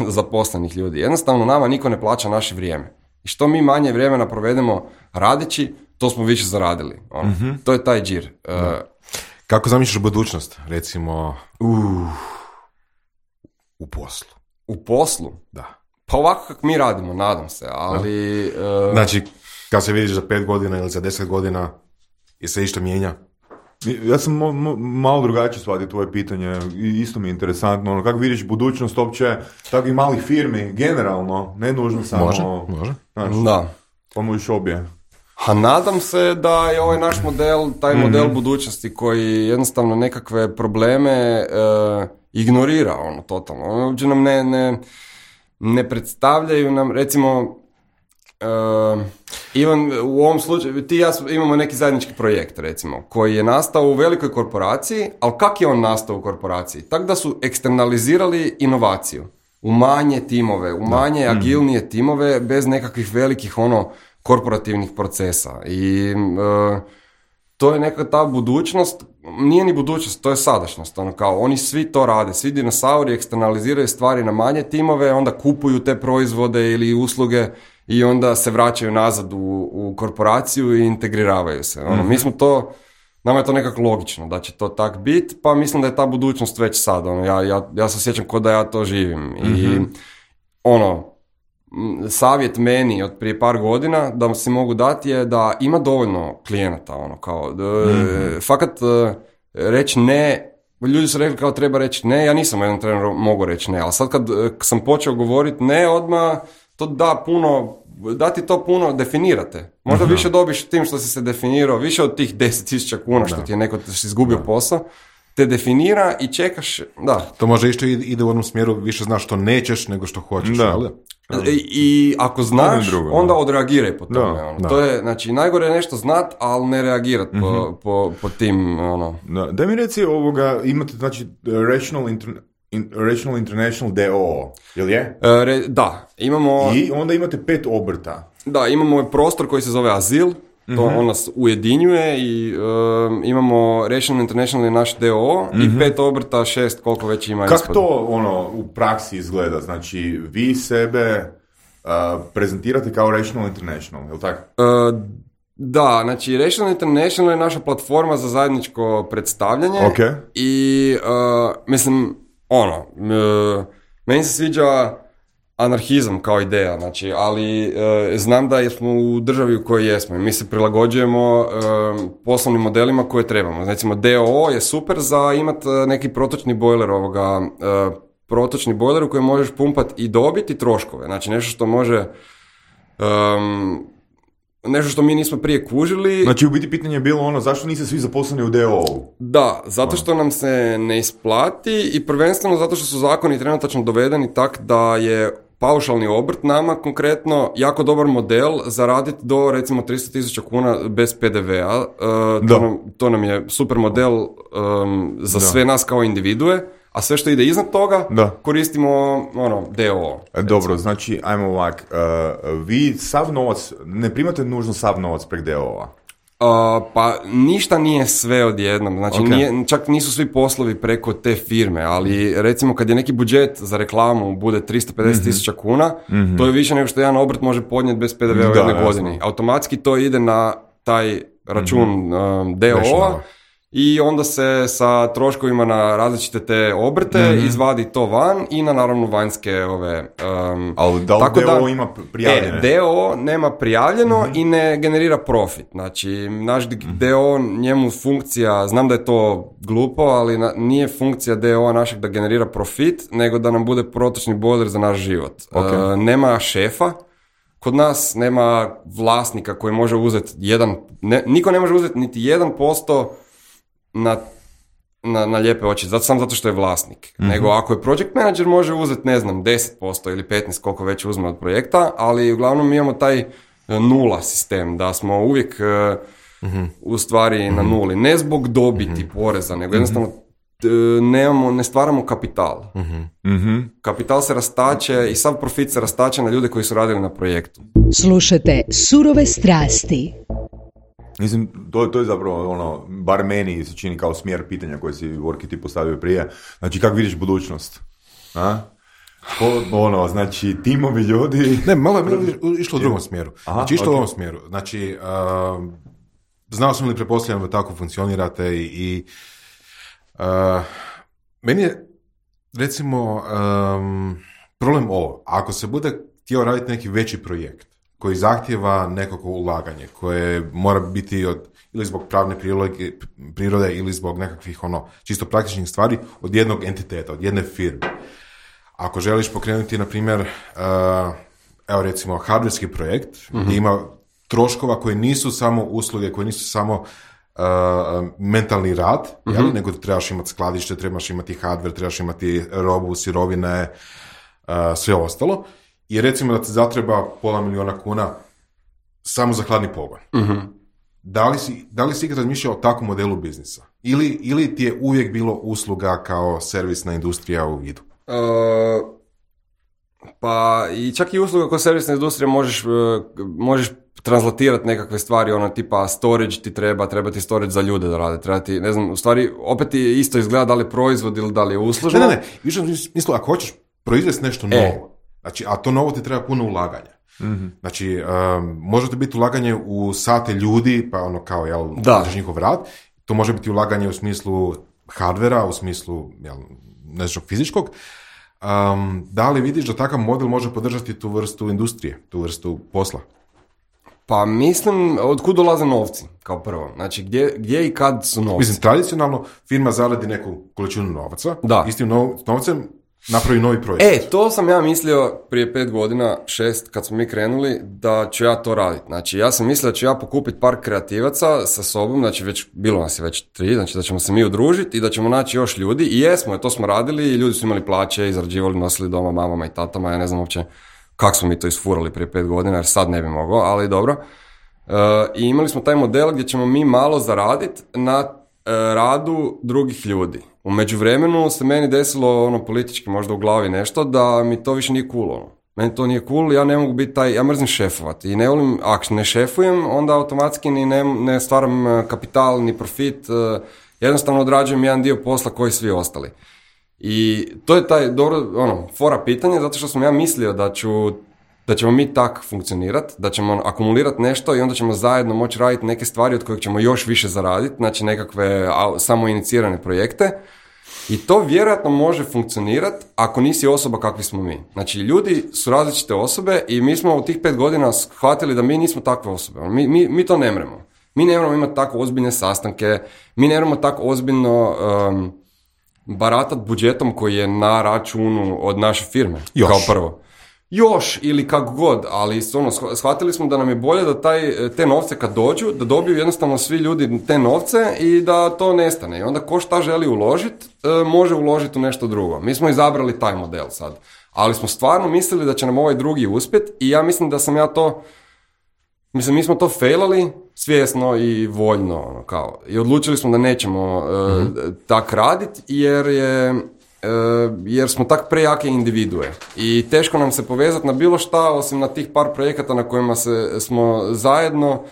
zaposlenih ljudi. Jednostavno nama niko ne plaća naše vrijeme. I što mi manje vremena provedemo radeći, to smo više zaradili. Ono. Mm-hmm. To je taj džir. Uh, Kako zamišljaš budućnost, recimo, uh, u poslu? U poslu? Da. Pa ovako kako mi radimo, nadam se, ali... Uh, znači, kad se vidiš za pet godina ili za deset godina, i se išta mijenja? Ja sam mo- mo- malo drugačije shvatio tvoje pitanje i isto mi je interesantno. Ono, kako vidiš budućnost uopće takvih malih firmi, generalno, ne nužno samo... Može, može. Znaš, da. Pa možeš obje. A nadam se da je ovaj naš model, taj mm-hmm. model budućnosti koji jednostavno nekakve probleme e, ignorira, ono, totalno. Ono, uopće nam ne, ne, ne predstavljaju nam, recimo, e, Ivan, u ovom slučaju, ti i ja imamo neki zajednički projekt, recimo, koji je nastao u velikoj korporaciji, ali kak je on nastao u korporaciji? Tako da su eksternalizirali inovaciju u manje timove, u manje da. agilnije mm-hmm. timove, bez nekakvih velikih, ono, korporativnih procesa i uh, to je neka ta budućnost, nije ni budućnost, to je sadašnjost, ono kao oni svi to rade, svi dinosauri eksternaliziraju stvari na manje timove, onda kupuju te proizvode ili usluge i onda se vraćaju nazad u, u korporaciju i integriravaju se. Ono, mm-hmm. Mi smo to nama je to nekako logično da će to tak biti, pa mislim da je ta budućnost već sad. Ono, ja, ja, ja se sjećam kao da ja to živim. Mm-hmm. I ono, savjet meni od prije par godina da si mogu dati je da ima dovoljno klijenata. Ono, kao, mm-hmm. Fakat reći ne, ljudi su rekli kao treba reći ne, ja nisam jedan trener mogu reći ne, ali sad kad sam počeo govoriti ne, odmah to da puno, da ti to puno definirate. Možda uh-huh. više dobiš tim što si se definirao, više od tih deset tisuća kuna što da. ti je neko si izgubio da. posao, te definira i čekaš, da. To može isto ide u onom smjeru, više znaš što nećeš nego što hoćeš, da. ali? I, I ako znaš, drugo, onda odreagiraj po tome. Da, ono. Da. To je, znači, najgore je nešto znat, ali ne reagirat mm-hmm. po, po, po tim, ono. Da, da mi reci ovoga, imate, znači, Rational, Inter, in, Rational International D O O, jel je? E, re, da, imamo... I onda imate pet obrta. Da, imamo prostor koji se zove Azil, to mm-hmm. on nas ujedinjuje i um, imamo Rational International je naš D O O mm-hmm. i pet obrta, šest, koliko već ima. Kako to ono u praksi izgleda? Znači, vi sebe uh, prezentirate kao Rational International, je li tako? Uh, da, znači Rational International je naša platforma za zajedničko predstavljanje okay. i uh, mislim, ono, uh, meni se sviđa anarhizam kao ideja, znači, ali e, znam da smo u državi u kojoj jesmo i mi se prilagođujemo e, poslovnim modelima koje trebamo. Recimo D O O je super za imati neki protočni bojler ovoga, e, protočni bojler u kojem možeš pumpati i dobiti i troškove. Znači nešto što može um, nešto što mi nismo prije kužili. Znači u biti pitanje je bilo ono, zašto niste svi zaposleni u D O O-u? Da, zato što nam se ne isplati i prvenstveno zato što su zakoni trenutačno dovedeni tak da je paušalni obrt nama konkretno jako dobar model za raditi do recimo tristo tisuća kuna bez P D V-a. Uh, to, nam, to nam je super model um, za da. sve nas kao individue, a sve što ide iznad toga da. koristimo ono, D O O. Recimo. Dobro, znači, ajmo ovak, uh, vi sav novac, ne primate nužno sav novac prek D O O-a? Uh, pa ništa nije sve odjednom, znači okay. nije, čak nisu svi poslovi preko te firme, ali recimo kad je neki budžet za reklamu bude tristo pedeset tisuća mm-hmm. kuna, mm-hmm. to je više nego što jedan obrt može podnijeti bez P D V-a u jednoj godini. Automatski to ide na taj račun mm-hmm. um, D O O-a i onda se sa troškovima na različite te obrte mm-hmm. izvadi to van i na naravno vanjske ove... Um, ali da li D O O ima prijavljene? E, D O O nema prijavljeno mm-hmm. i ne generira profit. Znači, naš mm-hmm. D O O, njemu funkcija, znam da je to glupo, ali na, nije funkcija D O O našeg da generira profit, nego da nam bude protočni bojler za naš život. Okay. Uh, nema šefa, kod nas nema vlasnika koji može uzeti jedan... Ne, niko ne može uzeti niti jedan posto Na, na, na lijepe oči, zato, samo zato što je vlasnik. Mm-hmm. Nego ako je project manager može uzeti, ne znam, deset posto ili petnaest koliko već uzme od projekta, ali uglavnom mi imamo taj nula sistem, da smo uvijek mm-hmm. u stvari mm-hmm. na nuli. Ne zbog dobiti mm-hmm. poreza, nego jednostavno nemamo, ne stvaramo kapital. Mm-hmm. Kapital se rastače i sav profit se rastače na ljude koji su radili na projektu. Slušajte Surove strasti. Mislim, to, to je zapravo ono, bar meni se čini kao smjer pitanja koje si Vorki ti postavio prije. Znači, kako vidiš budućnost? A? Ko, ono, znači, timovi ljudi... Ne, malo je išlo u drugom smjeru. Aha, znači, išlo okay. u ovom smjeru. Znači, uh, znao sam li pretpostavljam da tako funkcionirate i... i uh, meni je, recimo, um, problem ovo. Ako se bude htio raditi neki veći projekt, koji zahtjeva nekako ulaganje, koje mora biti od, ili zbog pravne prirode, prirode ili zbog nekakvih ono, čisto praktičnih stvari od jednog entiteta, od jedne firme. Ako želiš pokrenuti, na primjer, uh, evo recimo, hardverski projekt, mm-hmm. gdje ima troškova koji nisu samo usluge, koji nisu samo uh, mentalni rad, mm-hmm. jel? Nego trebaš imati skladište, trebaš imati hardware, trebaš imati robu, sirovine, uh, sve ostalo. I recimo da ti zatreba pola miliona kuna samo za hladni pogon. Uh-huh. Da li si, da li si ikad razmišljao o takvom modelu biznisa? Ili, ili ti je uvijek bilo usluga kao servisna industrija u vidu? Uh, pa i čak i usluga kao servisna industrija možeš, uh, možeš translatirati nekakve stvari, ono tipa storage ti treba, treba ti storage za ljude da rade, treba ti, ne znam, u stvari opet ti isto izgleda da li je proizvod ili da li je uslužno. Ne, ne, ne, više mislim, ako hoćeš proizvesti nešto novo, e. Znači, a to novo ti treba puno ulaganja. Mm-hmm. Znači, um, može to biti ulaganje u sate ljudi, pa ono kao, jel, možeš njihov rad. To može biti ulaganje u smislu hardvera, u smislu jel, nešto fizičkog. Um, da li vidiš da takav model može podržati tu vrstu industrije, tu vrstu posla? Pa mislim, od kud dolaze novci, kao prvo. Znači, gdje, gdje i kad su novci? Mislim, tradicionalno firma zaradi neku količinu novaca, da. Istim nov, novcem napravi novi proizvod. E, to sam ja mislio prije pet godina, šest, kad smo mi krenuli, da ću ja to raditi. Znači, ja sam mislio da ću ja pokupiti par kreativaca sa sobom, znači već, bilo nas je već tri, znači da ćemo se mi udružiti i da ćemo naći još ljudi. I jesmo, to smo radili i ljudi su imali plaće, izrađivali, nosili doma mamama i tatama, ja ne znam uopće kako smo mi to isfurali prije pet godina, jer sad ne bi mogao, ali dobro. Uh, I imali smo taj model gdje ćemo mi malo zaraditi na uh, radu drugih ljudi. U međuvremenu se meni desilo ono politički možda u glavi nešto da mi to više nije cool. Ono. Meni to nije cool, ja ne mogu biti taj, ja mrzim šefovati i ne volim, ako ne šefujem, onda automatski ni ne, ne stvaram kapital, ni profit, uh, jednostavno odrađujem jedan dio posla koji svi ostali. I to je taj dobro, ono, fora pitanje, zato što sam ja mislio da ću, da ćemo mi tak funkcionirati, da ćemo akumulirati nešto i onda ćemo zajedno moći raditi neke stvari od kojih ćemo još više zaraditi, znači nekakve samo inicirane projekte. I to vjerojatno može funkcionirati ako nisi osoba kakvi smo mi. Znači, ljudi su različite osobe i mi smo u tih pet godina shvatili da mi nismo takve osobe. Mi, mi, mi to ne mremo. Mi ne moramo imati tako ozbiljne sastanke, mi ne moramo tako ozbiljno um, baratat budžetom koji je na računu od naše firme. Još. Kao prvo. Još ili kako god, ali ono, shvatili smo da nam je bolje da taj, te novce kad dođu, da dobiju jednostavno svi ljudi te novce i da to nestane. I onda ko šta želi uložiti, može uložiti u nešto drugo. Mi smo izabrali taj model sad. Ali smo stvarno mislili da će nam ovaj drugi uspjeti i ja mislim da sam ja to, mislim, mi smo to failali svjesno i voljno, ono, kao. I odlučili smo da nećemo uh, mm-hmm. tak raditi jer je jer smo tak prejake individue i teško nam se povezati na bilo šta osim na tih par projekata na kojima se, smo zajedno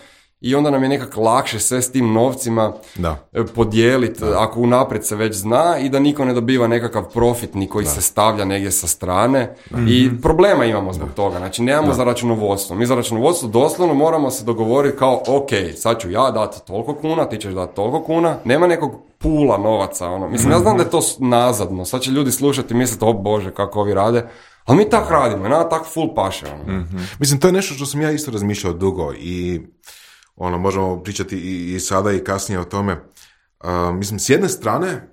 i onda nam je nekako lakše sve s tim novcima da. podijeliti da. Ako unaprijed se već zna i da niko ne dobiva nekakav profit ni koji da. se stavlja negdje sa strane mm-hmm. i problema imamo zbog da. toga, znači nemamo da. za računovodstvo, mi za računovodstvo doslovno moramo se dogovoriti kao ok, sad ću ja dati toliko kuna, ti ćeš dati toliko kuna, nema nekog pula novaca, ono. Mislim, ja znam da je to nazadno, sad će ljudi slušati i misliti, o Bože, kako ovi rade, ali mi tak radimo, nama tak full paše, ono. Mm-hmm. Mislim, to je nešto što sam ja isto razmišljao dugo i ono, možemo pričati i, i sada i kasnije o tome. Uh, mislim, s jedne strane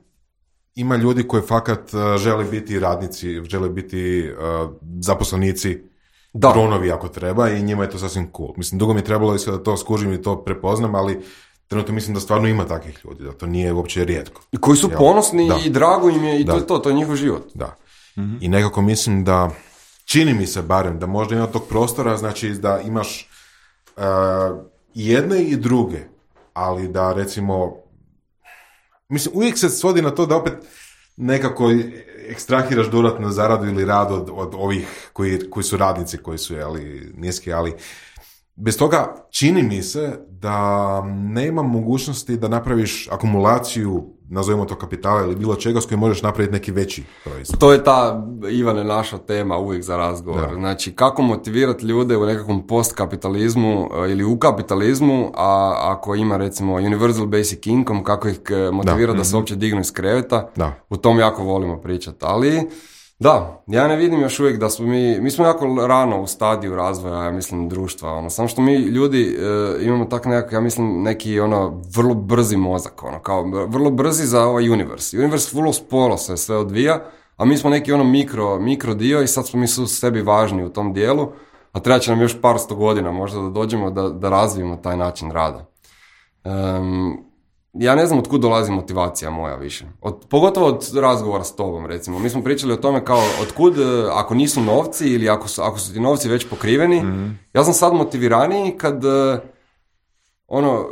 ima ljudi koji fakat uh, žele biti radnici, žele biti uh, zaposlenici, da. dronovi ako treba i njima je to sasvim cool. Mislim, dugo mi je trebalo da to skužim i to prepoznam, ali trenutno mislim da stvarno ima takvih ljudi, da to nije uopće rijetko. I koji su Jel? ponosni da. i drago im je i da. to je to, to je njihov život. Da. Mm-hmm. I nekako mislim da, čini mi se barem, da možda ima tog prostora, znači da imaš uh, jedne i druge, ali da recimo, mislim, uvijek se svodi na to da opet nekako ekstrahiraš dodatnu zaradu ili rad od, od ovih koji, koji su radnici, koji su jeli, niski, ali bez toga čini mi se da nema mogućnosti da napraviš akumulaciju, nazovimo to kapitala ili bilo čega s kojim možeš napraviti neki veći proizvod. To je ta, Ivane, naša tema uvijek za razgovor. Da. Znači, kako motivirati ljude u nekakvom postkapitalizmu ili u kapitalizmu, a ako ima recimo universal basic income, kako ih motivirati da, da se uopće dignu iz kreveta, da. U tom jako volimo pričati. Ali da, ja ne vidim još uvijek da smo mi, mi smo jako rano u stadiju razvoja, ja mislim, društva, ono, samo što mi ljudi e, imamo tak nekak, ja mislim, neki, ono, vrlo brzi mozak, ono, kao, vrlo brzi za ovaj univers. Univers vrlo sporo se sve odvija, a mi smo neki, ono, mikro, mikro dio i sad smo mi su sebi važni u tom dijelu, a treba će nam još par sto godina možda da dođemo da, da razvijemo taj način rada. Um, Ja ne znam od kud dolazi motivacija moja više. Od, pogotovo od razgovora s tobom, recimo. Mi smo pričali o tome kao od kud, ako nisu novci ili ako su, ako su ti novci već pokriveni, mm-hmm. ja sam sad motiviraniji kad ono, uh,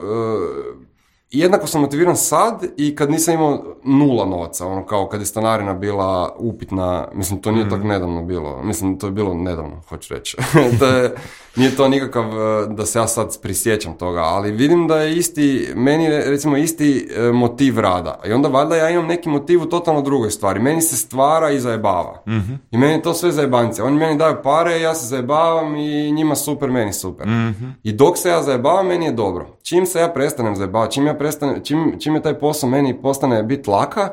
jednako sam motiviran sad i kad nisam imao nula novaca, ono kao kad je stanarina bila upitna, mislim to nije mm-hmm. tako nedavno bilo, mislim to je bilo nedavno, hoću reći. to je, nije to nikakav da se ja sad prisjećam toga, ali vidim da je isti, meni recimo isti motiv rada. I onda valjda ja imam neki motiv u totalno drugoj stvari. Meni se stvara i zajebava. Mm-hmm. I meni je to sve zajebance. Oni meni daju pare, ja se zajebavam i njima super, meni super. Mm-hmm. I dok se ja zajebavam, meni je dobro. Čim se ja prestanem zajebavati, čim, ja prestanem, čim, čim je taj posao meni postane bit laka,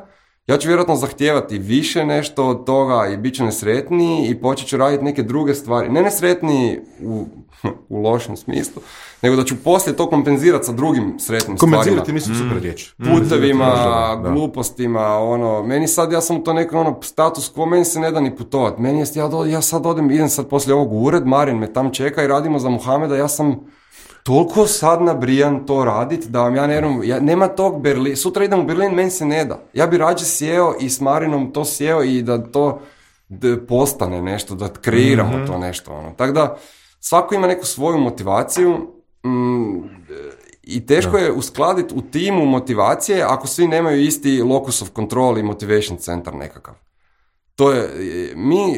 ja ću vjerojatno zahtijevati više nešto od toga i bit ću nesretniji i počet ću raditi neke druge stvari. Ne nesretniji u, u lošem smislu, nego da ću poslije to kompenzirati sa drugim sretnim stvarima. Kompenzirati mislim mm. super riječ. Putevima, mm. glupostima, ono, meni sad, ja sam u to neko ono status quo, meni se ne da ni putovati. Meni je, ja, do, ja sad odem, idem sad poslije ovog u ured, Marin me tam čeka i radimo za Muhameda, ja sam toliko sad nabrijan to radit da vam ja ne vjerujem, ja, nema tog Berlin, sutra idem u Berlin, meni se ne da. Ja bi rađe sjeo i s Marinom to sjeo i da to da postane nešto, da kreiramo mm-hmm. to nešto. Ono. Tako da svako ima neku svoju motivaciju mm, i teško da. je uskladiti u timu motivacije ako svi nemaju isti locus of control i motivation centar nekakav. To je, mi,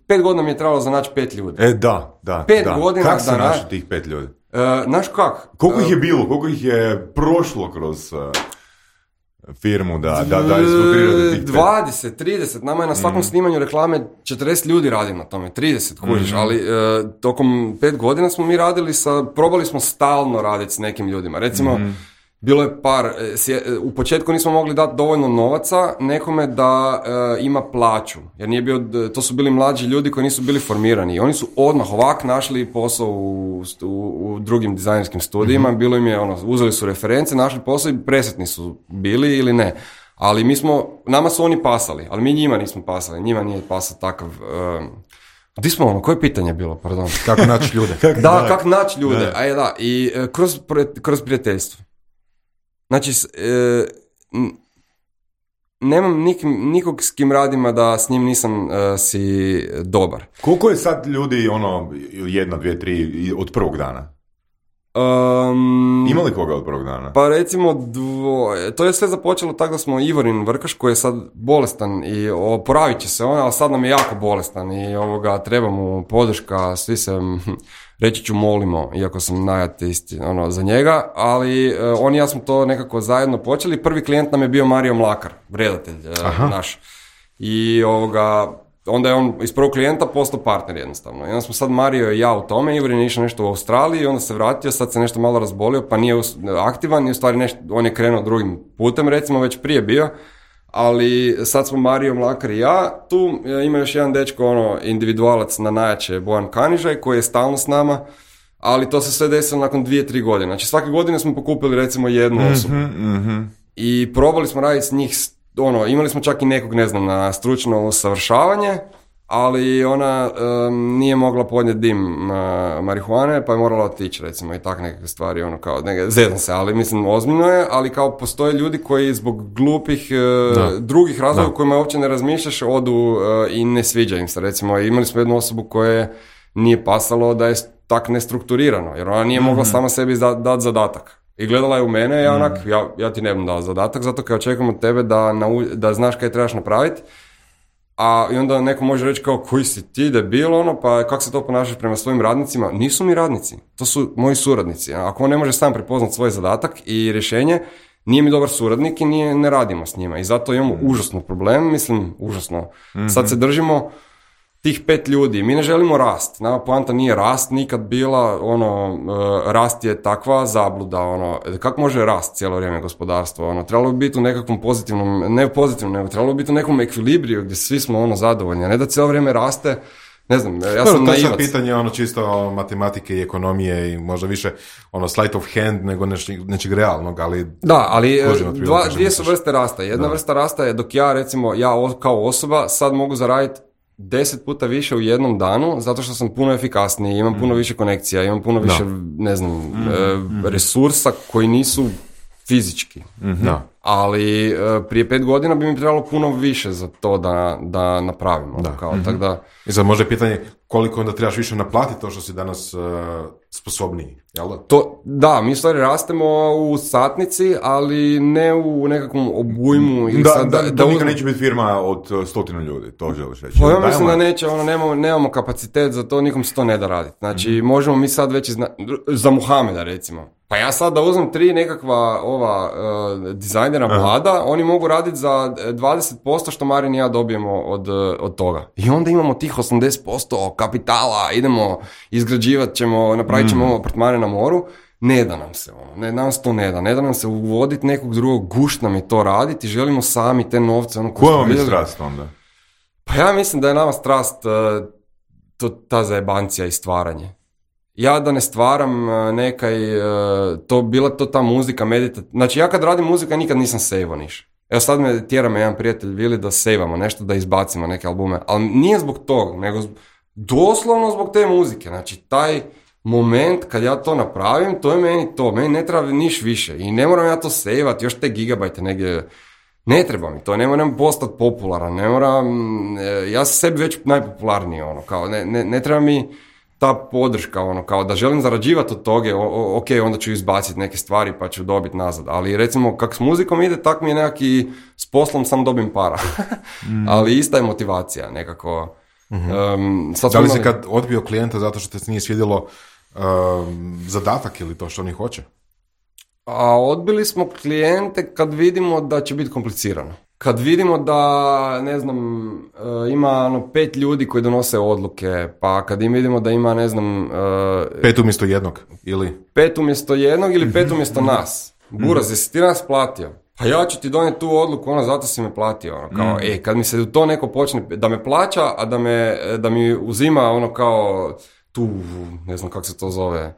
pet godina mi je trebalo za naći pet ljudi. E, da, da. Pet da. godina Kako se da našli tih pet ljudi? Uh, znaš kak? Koliko ih je bilo? Koliko ih je prošlo kroz uh, firmu da, da, da izfiltrirate tih pet? dvadeset, trideset. Nama je na svakom mm. snimanju reklame četrdeset ljudi radi na tome. trideset, kužiš. Mm. Ali uh, tokom pet godina smo mi radili sa, probali smo stalno raditi s nekim ljudima. Recimo, mm. bilo je par, u početku nismo mogli dati dovoljno novaca nekome da e, ima plaću, jer nije bio, to su bili mlađi ljudi koji nisu bili formirani i oni su odmah ovak našli posao u, u, u drugim dizajnerskim studijima, mm-hmm. bilo im je ono, uzeli su reference, našli posao i presretni su bili ili ne, ali mi smo, nama su oni pasali, ali mi njima nismo pasali, njima nije pasao takav... E, Di smo ono, koje pitanje bilo, pardon? Kako naći ljude? Da, kako naći ljude, a je da, i e, kroz, kroz prijateljstvo. Znači, e, nemam nik, nikog s kim radima da s njim nisam e, si dobar. Koliko je sad ljudi, ono, jedna, dvije, tri, od prvog dana? Um, Ima li koga od prvog dana? Pa recimo dvoje. To je sve započelo tako da smo Ivorin Vrkaš koji je sad bolestan i oporavit će se on, ali sad nam je jako bolestan i ovoga, treba mu podrška, svi se, reći ću, molimo, iako sam najateisti ono, za njega, ali uh, on i ja smo to nekako zajedno počeli. Prvi klijent nam je bio Mario Mlakar, redatelj uh, naš. I ovoga... Onda je on iz prvog klijenta postao partner jednostavno. I onda smo sad Mario i ja u tome, Ivorin je išao nešto u Australiji, onda se vratio, sad se nešto malo razbolio, pa nije aktivan i u stvari nešto, on je krenuo drugim putem, recimo već prije bio, ali sad smo Mario Mlakar i ja, tu ima još jedan dečko, ono, individualac na najjače, Bojan Kanižaj, koji je stalno s nama, ali to se sve desilo nakon dvije, tri godine. Znači svake godine smo pokupili recimo jednu osobu mm-hmm. i probali smo raditi s njih. Ono, imali smo čak i nekog, ne znam, na stručno usavršavanje, ali ona um, nije mogla podnijeti dim uh, marihuane, pa je morala otići, recimo, i tak neke stvari, ono, kao, neke, zezam se, ali mislim, ozbiljno je, ali kao postoje ljudi koji zbog glupih uh, drugih razloga u kojima uopće ne razmišljaš, odu uh, i ne sviđa im se, recimo, imali smo jednu osobu koje nije pasalo da je tak nestrukturirano, jer ona nije mm-hmm. mogla sama sebi dati dat zadatak. I gledala je u mene i onak, mm. ja, ja ti ne bih dao zadatak, zato kao očekujem od tebe da, nau, da znaš kaj trebaš napraviti. A i onda neko može reći kao, koji si ti debil, ono, pa kako se to ponašaš prema svojim radnicima? Nisu mi radnici, to su moji suradnici. Ako on ne može sam prepoznat svoj zadatak i rješenje, nije mi dobar suradnik i nije, ne radimo s njima. I zato imamo mm. užasno problem, mislim, užasno. Mm-hmm. Sad se držimo tih pet ljudi, mi ne želimo rast, nama poanta nije rast nikad bila, ono, uh, rast je takva zabluda, ono, kako može rast cijelo vrijeme gospodarstvo, ono, trebalo bi biti u nekakvom pozitivnom, ne pozitivnom, nego trebalo bi biti u nekom ekvilibriju gdje svi smo, ono, zadovoljni, a ne da cijelo vrijeme raste, ne znam, ja sam naivac. To je pitanje, ono, čisto matematike i ekonomije i možda više, ono, sleight of hand nego nečeg, nečeg realnog, ali... Da, ali dva, dvije su vrste rasta, jedna da. vrsta rasta je dok ja, recimo, ja kao osoba sad mogu zaraditi deset puta više u jednom danu, zato što sam puno efikasniji, imam puno više konekcija, imam puno više, da. ne znam, mm-hmm. e, resursa koji nisu fizički. Mm-hmm. Da. ali uh, prije pet godina bi mi trebalo puno više za to da, da napravimo. Da. Kao, Mm-hmm. tak da, I sad možda je pitanje koliko onda trebaš više naplatiti to što si danas uh, sposobniji, jel da? to, da, mi u stvari rastemo u satnici, ali ne u nekakvom obujmu. Ili Da, sad, da, da, to da nikad uzmem- neće biti firma od uh, stotinu ljudi, to želiš reći. Pa ja Dajmo- mislim da neće, ono, nemamo, nemamo kapacitet za to, nikom se to ne da raditi. Znači, Mhm. možemo mi sad već izna... za Muhameda, recimo. Pa ja sad da uzmem tri nekakva ova uh, dizajnera mlada, oni mogu raditi za dvadeset posto što Marin i ja dobijemo od, uh, od toga. I onda imamo tih osamdeset posto kapitala, idemo, izgrađivat ćemo, napravit ćemo Mhm. apartmane na moru. Ne da nam se ono, ne, nam se to ne da, ne da nam se uvoditi nekog drugog, gušt nam je to raditi, želimo sami te novce. Ono, koje Koja smo vam je vidjeli. strast onda? Pa ja mislim da je nama strast uh, to, ta zajebancija i stvaranje. Ja da ne stvaram uh, nekaj, uh, to bila to ta muzika, medita... Znači ja kad radim muzika nikad nisam sejvo niš. Evo sad me tjera me jedan prijatelj Vili da sejvamo nešto, da izbacimo neke albume. Ali nije zbog toga, nego zbog, doslovno zbog te muzike. Znači taj moment kad ja to napravim, to je meni to. Meni ne treba niš više. I ne moram ja to sejvat, još te gigabajte negdje. Ne treba mi to, ne moram postati popularan, ne moram, e, ja sam sebi već najpopularniji, ono, kao, ne, ne, ne treba mi ta podrška, ono, kao da želim zarađivati od toga, o, o, ok, onda ću izbaciti neke stvari pa ću dobiti nazad, ali recimo kak s muzikom ide, tak mi je nekaki, s poslom sam dobim para, ali ista je motivacija nekako. Um, sad Da smo li si imali- kad odbio klijenta zato što te nije svidjelo um, zadatak ili to što oni hoće? A odbili smo klijente kad vidimo da će biti komplicirano. Kad vidimo da, ne znam, e, ima ono pet ljudi koji donose odluke, pa kad im vidimo da ima, ne znam, e, Pet umjesto jednog, ili? pet umjesto jednog ili pet umjesto nas. Buraz, jesi ti nas platio? Pa ja ću ti donijeti tu odluku, ono, zato si me platio. Ono, kao, e, kad mi se u to neko počne, da me plaća, a da, me, da mi uzima ono kao tu, ne znam kako se to zove,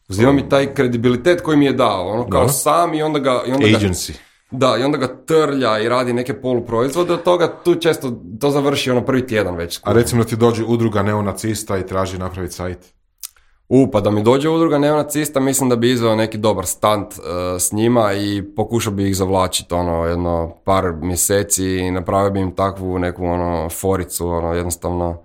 uzima mi taj kredibilitet koji mi je dao, ono kao Da. sam i onda ga... I onda ga Agency. Da, i onda ga trlja i radi neke poluproizvode od toga, tu često to završi ono prvi tjedan već. A recimo da ti dođe udruga neonacista i traži napraviti sajt. U, pa da mi dođe udruga neonacista, mislim da bi izveo neki dobar stunt uh, s njima i pokušao bi ih zavlačiti ono jedno par mjeseci i napravio bi im takvu neku ono foricu, ono jednostavno.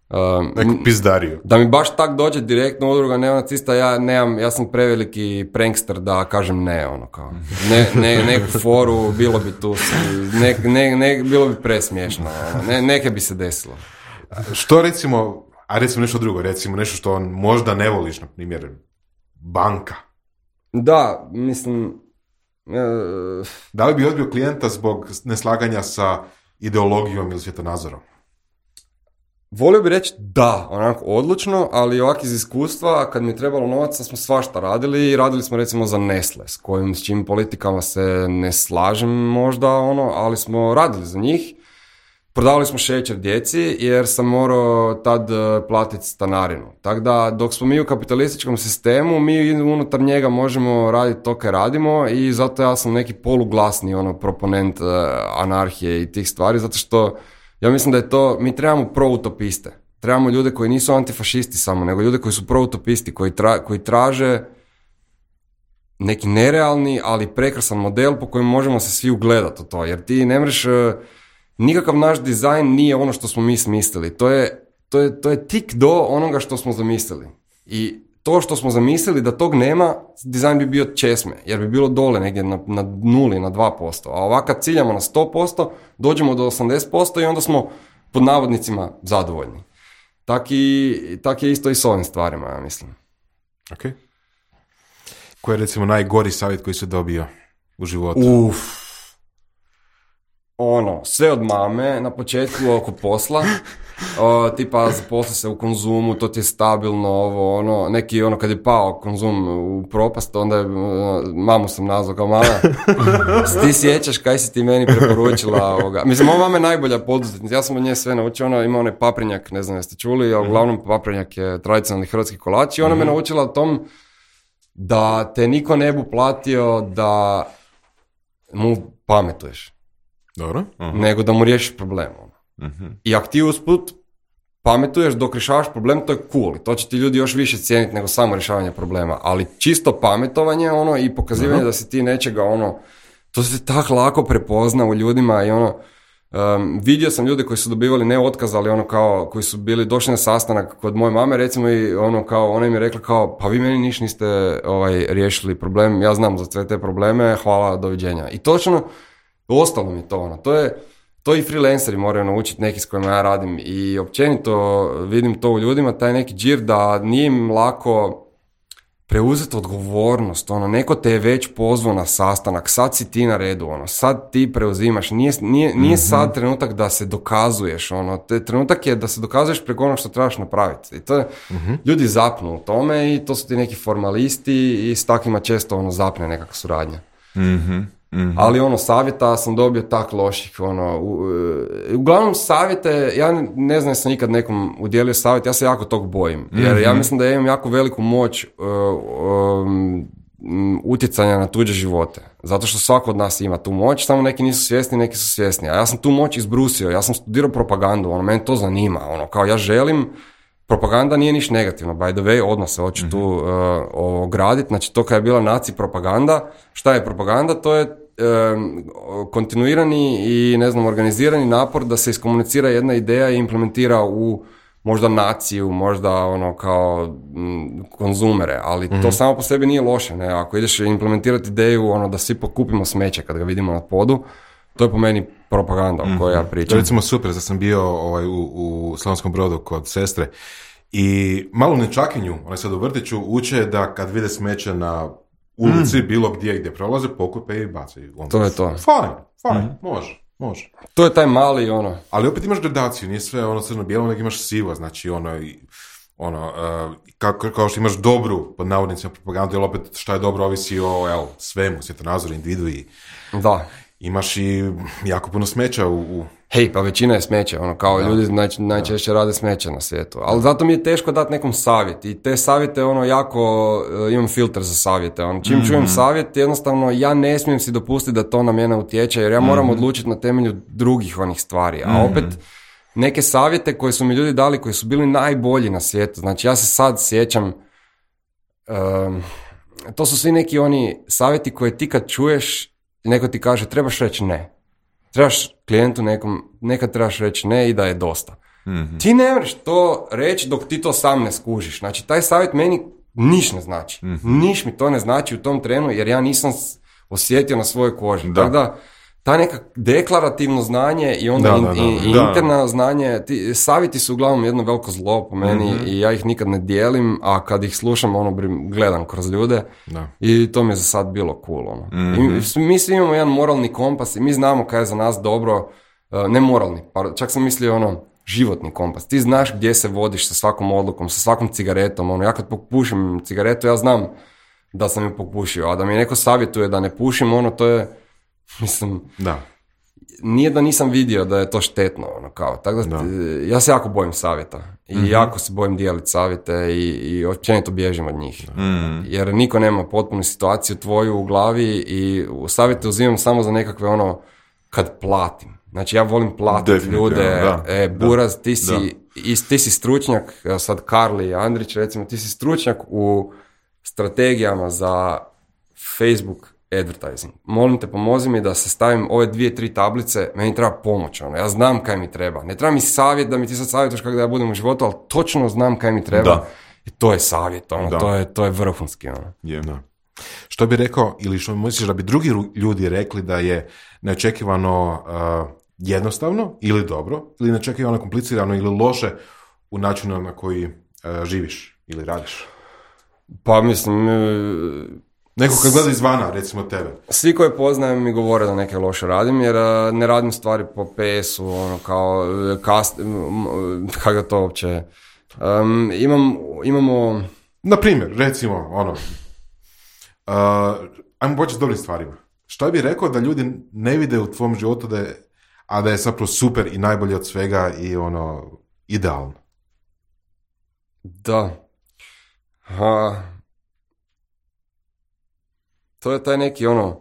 Um, Neku pizdariju. Da mi baš tak dođe direktno udruga neonacista, ja nemam, ja sam preveliki prankster da kažem ne, ono kao. Ne, ne, neku foru, bilo bi tu, ne, ne, ne, bilo bi presmiješno, ono. Ne, neke bi se desilo. Što recimo, a recimo nešto drugo, recimo nešto što možda ne voliš, na primjer, banka. Da, mislim, uh, Da li bi odbio klijenta zbog neslaganja sa ideologijom ili svjetonazorom? volio bi reći da, onako odlučno, ali ovak iz iskustva, kad mi je trebalo novaca, smo svašta radili i radili smo recimo za Nestle, s kojim, s čim politikama se ne slažem možda, ono, ali smo radili za njih. Prodavali smo šećer djeci jer sam morao tad uh, platiti stanarinu. Tako da dok smo mi u kapitalističkom sistemu, mi unutar njega možemo raditi to kaj radimo i zato ja sam neki poluglasni ono, proponent uh, anarhije i tih stvari, zato što ja mislim da je to, mi trebamo proutopiste. Trebamo ljude koji nisu antifašisti samo, nego ljude koji su proutopisti, koji, tra, koji traže neki nerealni, ali prekrasan model po kojem možemo se svi ugledati u to. Jer ti ne mreš... Uh, nikakav naš dizajn nije ono što smo mi smislili. To je, to je, to je tik do onoga što smo zamislili. I to što smo zamislili da tog nema, dizajn bi bio česme, jer bi bilo dole negdje na, na nuli, na dva posto. A ovako kad ciljamo na sto posto, dođemo do osamdeset posto i onda smo pod navodnicima zadovoljni. Tak, i, tak je isto i s ovim stvarima, ja mislim. Ok. Koji je recimo najgori savjet koji si dobio u životu? Uff. Ono, sve od mame na početku oko posla, o, tipa zaposli se u Konzumu, to ti je stabilno, ovo, ono, neki ono kad je pao Konzum u propast, onda je, mamu sam nazvao kao mama, ti sjećaš kaj si ti meni preporučila ovoga. Mislim, ova mama je najbolja poduzetnica, ja sam od nje sve naučio, ona ima onaj paprinjak, ne znam jeste čuli, ali uglavnom paprinjak je tradicionalni hrvatski kolač i ona me naučila o tom da te niko ne bu platio da mu pametuješ. Dobro. Uh-huh. Nego da mu riješiš problem. Uh-huh. I ako ti usput pametuješ dok rješavaš problem, to je cool. I to će ti ljudi još više cijeniti nego samo rješavanje problema. Ali čisto pametovanje ono, i pokazivanje uh-huh. da si ti nečega ono, To se tako lako prepozna u ljudima i ono, um, vidio sam ljude koji su dobivali ne otkaz, ali ono kao, koji su bili došli na sastanak kod moje mame, recimo, i ono kao, ona im je rekla kao, pa vi meni niš niste ovaj, riješili problem, ja znam za sve te probleme, hvala, doviđenja. I točno, ostalo mi to, ono, to je, to i freelanceri moraju naučiti, neki s kojima ja radim, i općenito vidim to u ljudima, taj neki džir da nije im lako preuzeti odgovornost, ono, neko te je već pozvao na sastanak, sad si ti na redu, ono, sad ti preuzimaš, nije, nije, nije mm-hmm. sad trenutak da se dokazuješ, ono, te, trenutak je da se dokazuješ preko onog što trebaš napraviti. I to je, mm-hmm. ljudi zapnu u tome i to su ti neki formalisti i s takvima često, ono, zapne nekakva suradnja. Mhm. Mm-hmm. Ali ono, savjeta sam dobio tak loših, ono, u, uglavnom savjete, ja ne znam, sam nikad nekom udjelio savjet, ja se jako tog bojim, jer mm-hmm. ja mislim da ja imam jako veliku moć uh, um, utjecanja na tuđe živote, zato što svako od nas ima tu moć, samo neki nisu svjesni, neki su svjesni, a ja sam tu moć izbrusio, ja sam studirao propagandu, ono, mene to zanima, ono, kao ja želim, propaganda nije niš negativno, by the way, odmah se hoću mm-hmm. tu uh, ograditi, znači to kad je bila naci propaganda, šta je propaganda, to je kontinuirani i, ne znam, organizirani napor da se iskomunicira jedna ideja i implementira u možda naciju, možda ono kao m, konzumere, ali mm-hmm. to samo po sebi nije loše, ne, ako ideš implementirati ideju ono da svi pokupimo smeće kad ga vidimo na podu, to je po meni propaganda o kojoj ja pričam. To je recimo super, da sam bio ovaj, u, u Slavonskom Brodu kod sestre i malo u Nečakinju, onaj sad u vrtiću, uče da kad vide smeće na ulici, mm. bilo gdje gdje prolaze, pokupe i bacaju. To je to. Fajn, fajn, mm. može, može. To je taj mali ono. Ali opet imaš gradaciju, nije sve ono crno-bijelo, nego imaš sivo, znači ono, ono uh, kao, kao što imaš dobru, pod navodnicima, propagandu, jer opet šta je dobro ovisi o, evo, svemu, svjetonazoru, individu i... Da. Imaš i jako puno smeća u... u... Hej, pa većina je smeća, ono, kao da. Ljudi naj, najčešće da. Rade smeće na svijetu. Ali zato mi je teško dati nekom savjet. I te savjete, ono, jako, uh, imam filter za savjete. Ono, čim mm-hmm. čujem savjet, jednostavno, ja ne smijem si dopustiti da to na mene utječe, jer ja moram mm-hmm. odlučiti na temelju drugih onih stvari. A mm-hmm. opet, neke savjete koje su mi ljudi dali, koji su bili najbolji na svijetu. Znači, ja se sad sjećam, um, to su svi neki oni savjeti koje ti kad čuješ, neko ti kaže, trebaš reći ne. Trebaš klijentu nekom, nekad trebaš reći ne i da je dosta. Mm-hmm. Ti ne možeš to reći dok ti to sam ne skužiš. Znači, taj savjet meni niš ne znači. Mm-hmm. Niš mi to ne znači u tom trenu, jer ja nisam osjetio na svojoj koži. Da. Tako da, ta neka deklarativno znanje i onda da, in, da, da. i, i da. interna znanje, ti, savjeti su uglavnom jedno veliko zlo po meni mm-hmm. i ja ih nikad ne dijelim, a kad ih slušam, ono, gledam kroz ljude da. I to mi je za sad bilo cool. Ono. Mm-hmm. I mi svi imamo jedan moralni kompas i mi znamo kaj je za nas dobro, ne moralni, pa čak sam mislio ono, životni kompas. Ti znaš gdje se vodiš sa svakom odlukom, sa svakom cigaretom. Ono, ja kad popušim cigaretu, ja znam da sam ju popušio, a da mi neko savjetuje da ne pušim, ono, to je, mislim, da. Nije da nisam vidio da je to štetno, ono, kao, tako da, da. Ja se jako bojim savjeta i mm-hmm. jako se bojim dijeliti savjete i, i općenito bježim od njih, mm-hmm. jer niko nema potpunu situaciju tvoju u glavi i u savjete uzimam samo za nekakve ono, kad platim. Znači, ja volim platiti ljude, da, e, Buraz, ti si, i, ti si stručnjak, sad Karli Andrić, recimo, ti si stručnjak u strategijama za Facebook advertising. Molim te, pomozi mi da se stavim ove dvije, tri tablice, meni treba pomoć, ono, ja znam kaj mi treba. Ne treba mi savjet da mi ti sad savjetaš kako da ja budem u životu, ali točno znam kaj mi treba. Da. I to je savjet, ono, to je, to je vrhunski, ono. Je, da. Što bi rekao, ili što misliš da bi drugi ljudi rekli da je neočekivano uh, jednostavno ili dobro, ili neočekivano komplicirano ili loše u načinu na koji uh, živiš ili radiš? Pa mislim... Uh, Neko kad gleda izvana, recimo tebe. Svi koji poznajem mi govore da neke loše radim, jer uh, ne radim stvari po P S-u, ono, kao, kast, kako to uopće... Um, imam, imamo... Na primjer, recimo, ono... Uh, ajmo početi s dobrim stvarima. Što bi rekao da ljudi ne vide u tvom životu da je, a da je zapravo super i najbolje od svega i ono, idealno? Da. Ha... To je taj neki ono,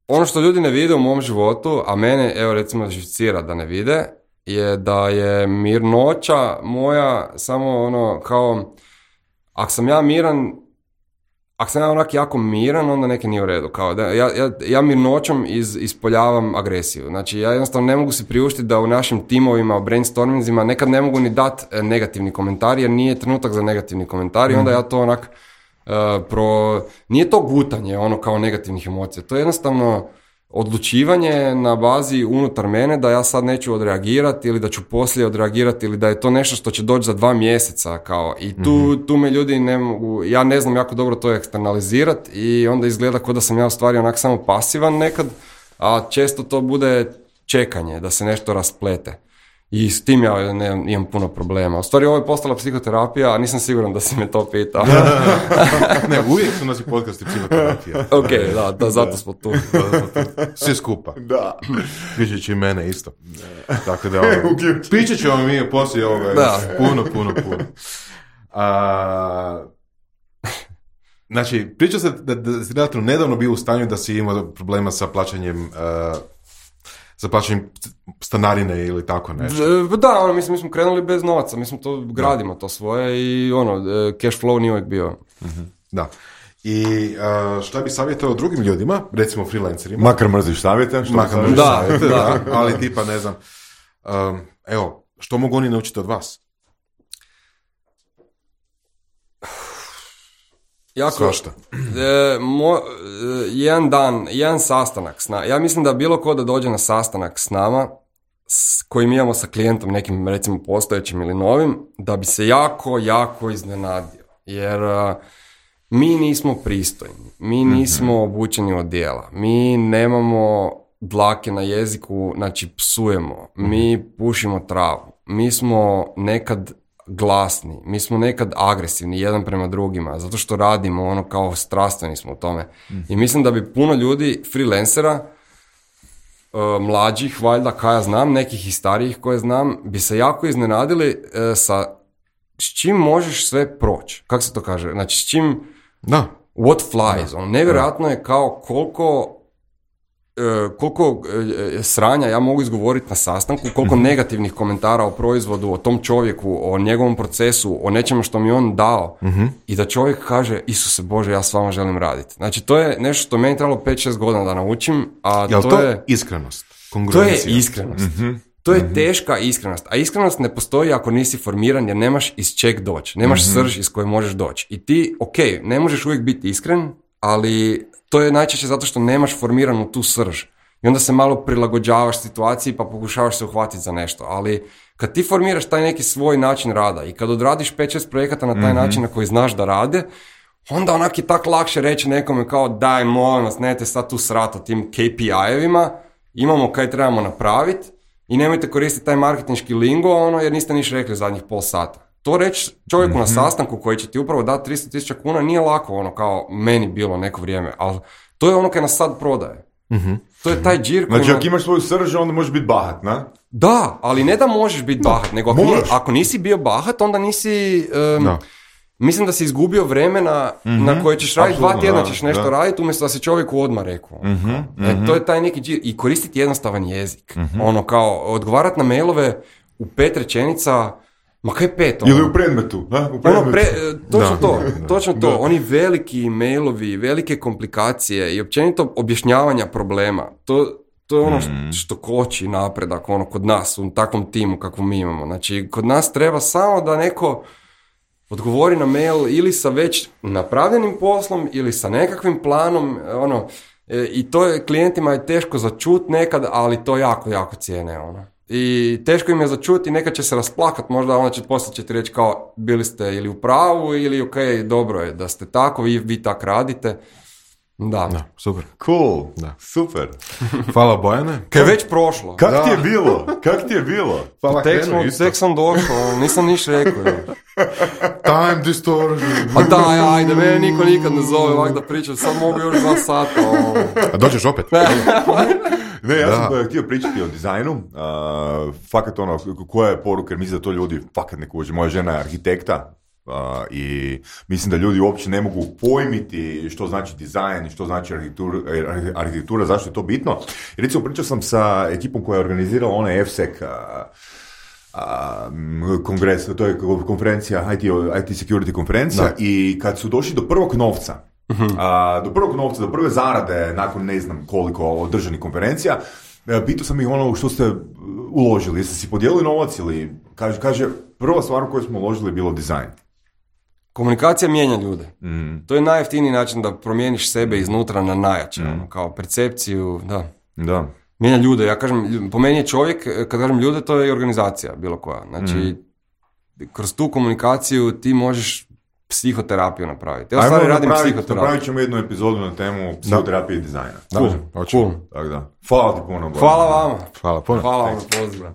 ono što ljudi ne vide u mom životu, a mene, evo recimo, živcira da ne vide, je da je mirnoća moja samo ono kao, ako sam ja miran, ako sam ja onak jako miran, onda neki nije u redu. Kao da, ja, ja, ja mirnoćom iz, ispoljavam agresiju. Znači, ja jednostavno ne mogu si priuštiti da u našim timovima, u brainstormingzima, nekad ne mogu ni dati negativni komentar, jer nije trenutak za negativni komentar i onda ja to onak, uh, pro... nije to gutanje, ono kao negativnih emocija. To je jednostavno odlučivanje na bazi unutar mene da ja sad neću odreagirati ili da ću poslije odreagirati ili da je to nešto što će doći za dva mjeseca kao i tu, mm-hmm. tu me ljudi ne mogu, ja ne znam jako dobro to eksternalizirati i onda izgleda kao da sam ja u stvari onak samo pasivan nekad, a često to bude čekanje da se nešto rasplete. I s tim ja ne, imam puno problema. U stvari ovo je postala psihoterapija, a nisam siguran da si me to pitao. Ne, uvijek su naši podcasti psihoterapija. Ok, da, da, zato smo tu. Svi skupa. Da. Pričat će i mene isto. Tako da, ono, pričat ćemo mi poslije ovoga. Da. Puno, puno, puno. A, znači, pričao se da, da si relativno nedavno bio u stanju da si imao problema sa plaćanjem uh, za plaćanjem stanarine ili tako nešto. Da, ono, mislim, mi smo krenuli bez novaca, mi smo to, gradimo to svoje i ono, cash flow nije uvijek bio. Mm-hmm. Da. I uh, šta bi savjetao drugim ljudima, recimo freelancerima? Makar mrziš savjete. Što Makar mrziš da, savjete, da. da. Ali tipa, ne znam, um, evo, što mogu oni naučiti od vas? Jako, Svašta. E, mo, e, jedan dan, jedan sastanak s nama. Ja mislim da bilo ko da dođe na sastanak s nama, s kojim imamo sa klijentom, nekim recimo postojećim ili novim, da bi se jako, jako iznenadio. Jer a, mi nismo pristojni, mi nismo mm-hmm. obučeni od djela, mi nemamo dlake na jeziku, znači psujemo, mm-hmm. mi pušimo travu, mi smo nekad glasni, mi smo nekad agresivni jedan prema drugima, zato što radimo ono kao strastveni smo u tome. Mm. I mislim da bi puno ljudi, freelancera, uh, mlađih, valjda, kaj ja znam, nekih i starijih koje znam, bi se jako iznenadili uh, sa s čim možeš sve proći. Kako se to kaže? Znači, s čim da. What flies. On, nevjerojatno je kao koliko Uh, koliko uh, sranja ja mogu izgovoriti na sastanku, koliko mm-hmm. negativnih komentara o proizvodu, o tom čovjeku, o njegovom procesu, o nečemu što mi on dao mm-hmm. i da čovjek kaže, Isuse Bože, ja s vama želim raditi. Znači, to je nešto što meni trebalo pet šest godina da naučim, a Jel to, to je... iskrenost? To je iskrenost. Mm-hmm. To je teška iskrenost. A iskrenost ne postoji ako nisi formiran jer nemaš iz čeg doći. Nemaš mm-hmm. srž iz koje možeš doći. I ti, ok, ne možeš uvijek biti iskren, ali to je najčešće zato što nemaš formiranu tu srž. I onda se malo prilagođavaš situaciji pa pokušavaš se uhvatiti za nešto. Ali kad ti formiraš taj neki svoj način rada i kad odradiš pet šest projekata na taj mm-hmm. način na koji znaš da rade, onda onak je tak lakše reći nekome kao daj molim vas, nemojte sad tu srat o tim K P I-evima, imamo kaj trebamo napraviti i nemojte koristiti taj marketinški lingo ono, jer niste niš rekli zadnjih pol sata. To reći čovjeku mm-hmm. na sastanku koji će ti upravo dati tristo tisuća kuna nije lako, ono kao meni bilo neko vrijeme, ali to je ono kaj nas sad prodaje. Mm-hmm. To je taj džir koji... Znači, ako imaš svoju srž, onda možeš biti bahat, na? Da, ali ne da možeš biti no, bahat, nego ako, nije, ako nisi bio bahat, onda nisi... Um, no. Mislim da si izgubio vremena mm-hmm. na koje ćeš raditi, dva tjedna ćeš nešto da. raditi, umjesto da si čovjeku odmah rekao. Mm-hmm. E, to je taj neki džir. I koristiti jednostavan jezik. Mm-hmm. Ono kao, odgovarati na mailove u pet rečenica... Ma kaj pet? Ono? Ili u predmetu. Ha? U predmetu. Ono pre, točno da, to, da, točno da. to. Oni veliki mailovi, velike komplikacije i općenito objašnjavanja problema. To, to je ono mm. što koči napredak ono, kod nas, u takvom timu kakvom mi imamo. Znači, kod nas treba samo da neko odgovori na mail ili sa već napravljenim poslom ili sa nekakvim planom. Ono, e, I to je klijentima je teško začut nekad, ali to jako, jako cijene. Ono. I teško im je začuti, nekad će se rasplakat, možda onda će poslije će ti reći kao bili ste ili u pravu ili ok, dobro je da ste tako, vi, vi tak radite. Da. Da, super. Cool, da. Super. Hvala Bojane. Kaj je već prošlo. Kak da. ti je bilo? Kak ti je bilo? Hvala tek, smo, tek sam došao, nisam niš rekao. Time distortion. A daj, ajde, mene niko nikad ne zove ovak da pričam, sad mogu još dva sata. Oh. A dođeš opet? Ne, ja da. sam htio pričati o dizajnu, uh, fakat ono, koja je poruka, jer mislim da to ljudi fakat ne kuže. Moja žena je arhitekta uh, i mislim da ljudi uopće ne mogu pojmiti što znači dizajn, što znači arhitektura, arhitektura zašto je to bitno. I recimo pričao sam sa ekipom koja je organizirala onaj F S E C uh, uh, kongres, to je konferencija, I T, I T security konferencija da. I kad su došli do prvog novca, A, do prvog novca, do prve zarade, nakon ne znam koliko održanih konferencija, pitao sam ih ono što ste uložili, jeste si podijelili novac ili, kaže, kaže prva stvar u koju smo uložili je bilo dizajn. Komunikacija mijenja ljude. Mm. To je najjeftiniji način da promijeniš sebe iznutra na najjače, Mm. kao percepciju, da. Da. Mijenja ljude, ja kažem, po meni je čovjek, kad kažem ljude, to je i organizacija, bilo koja. Znači, mm. kroz tu komunikaciju ti možeš psihoterapiju napraviti. Ja stvari radim psihoterapiju. Napravit ćemo jednu epizodu na temu psihoterapije i dizajna. Cool, cool. Tako da. Hvala ti puno. Hvala vama. Hvala puno. Hvala vam na pozivu.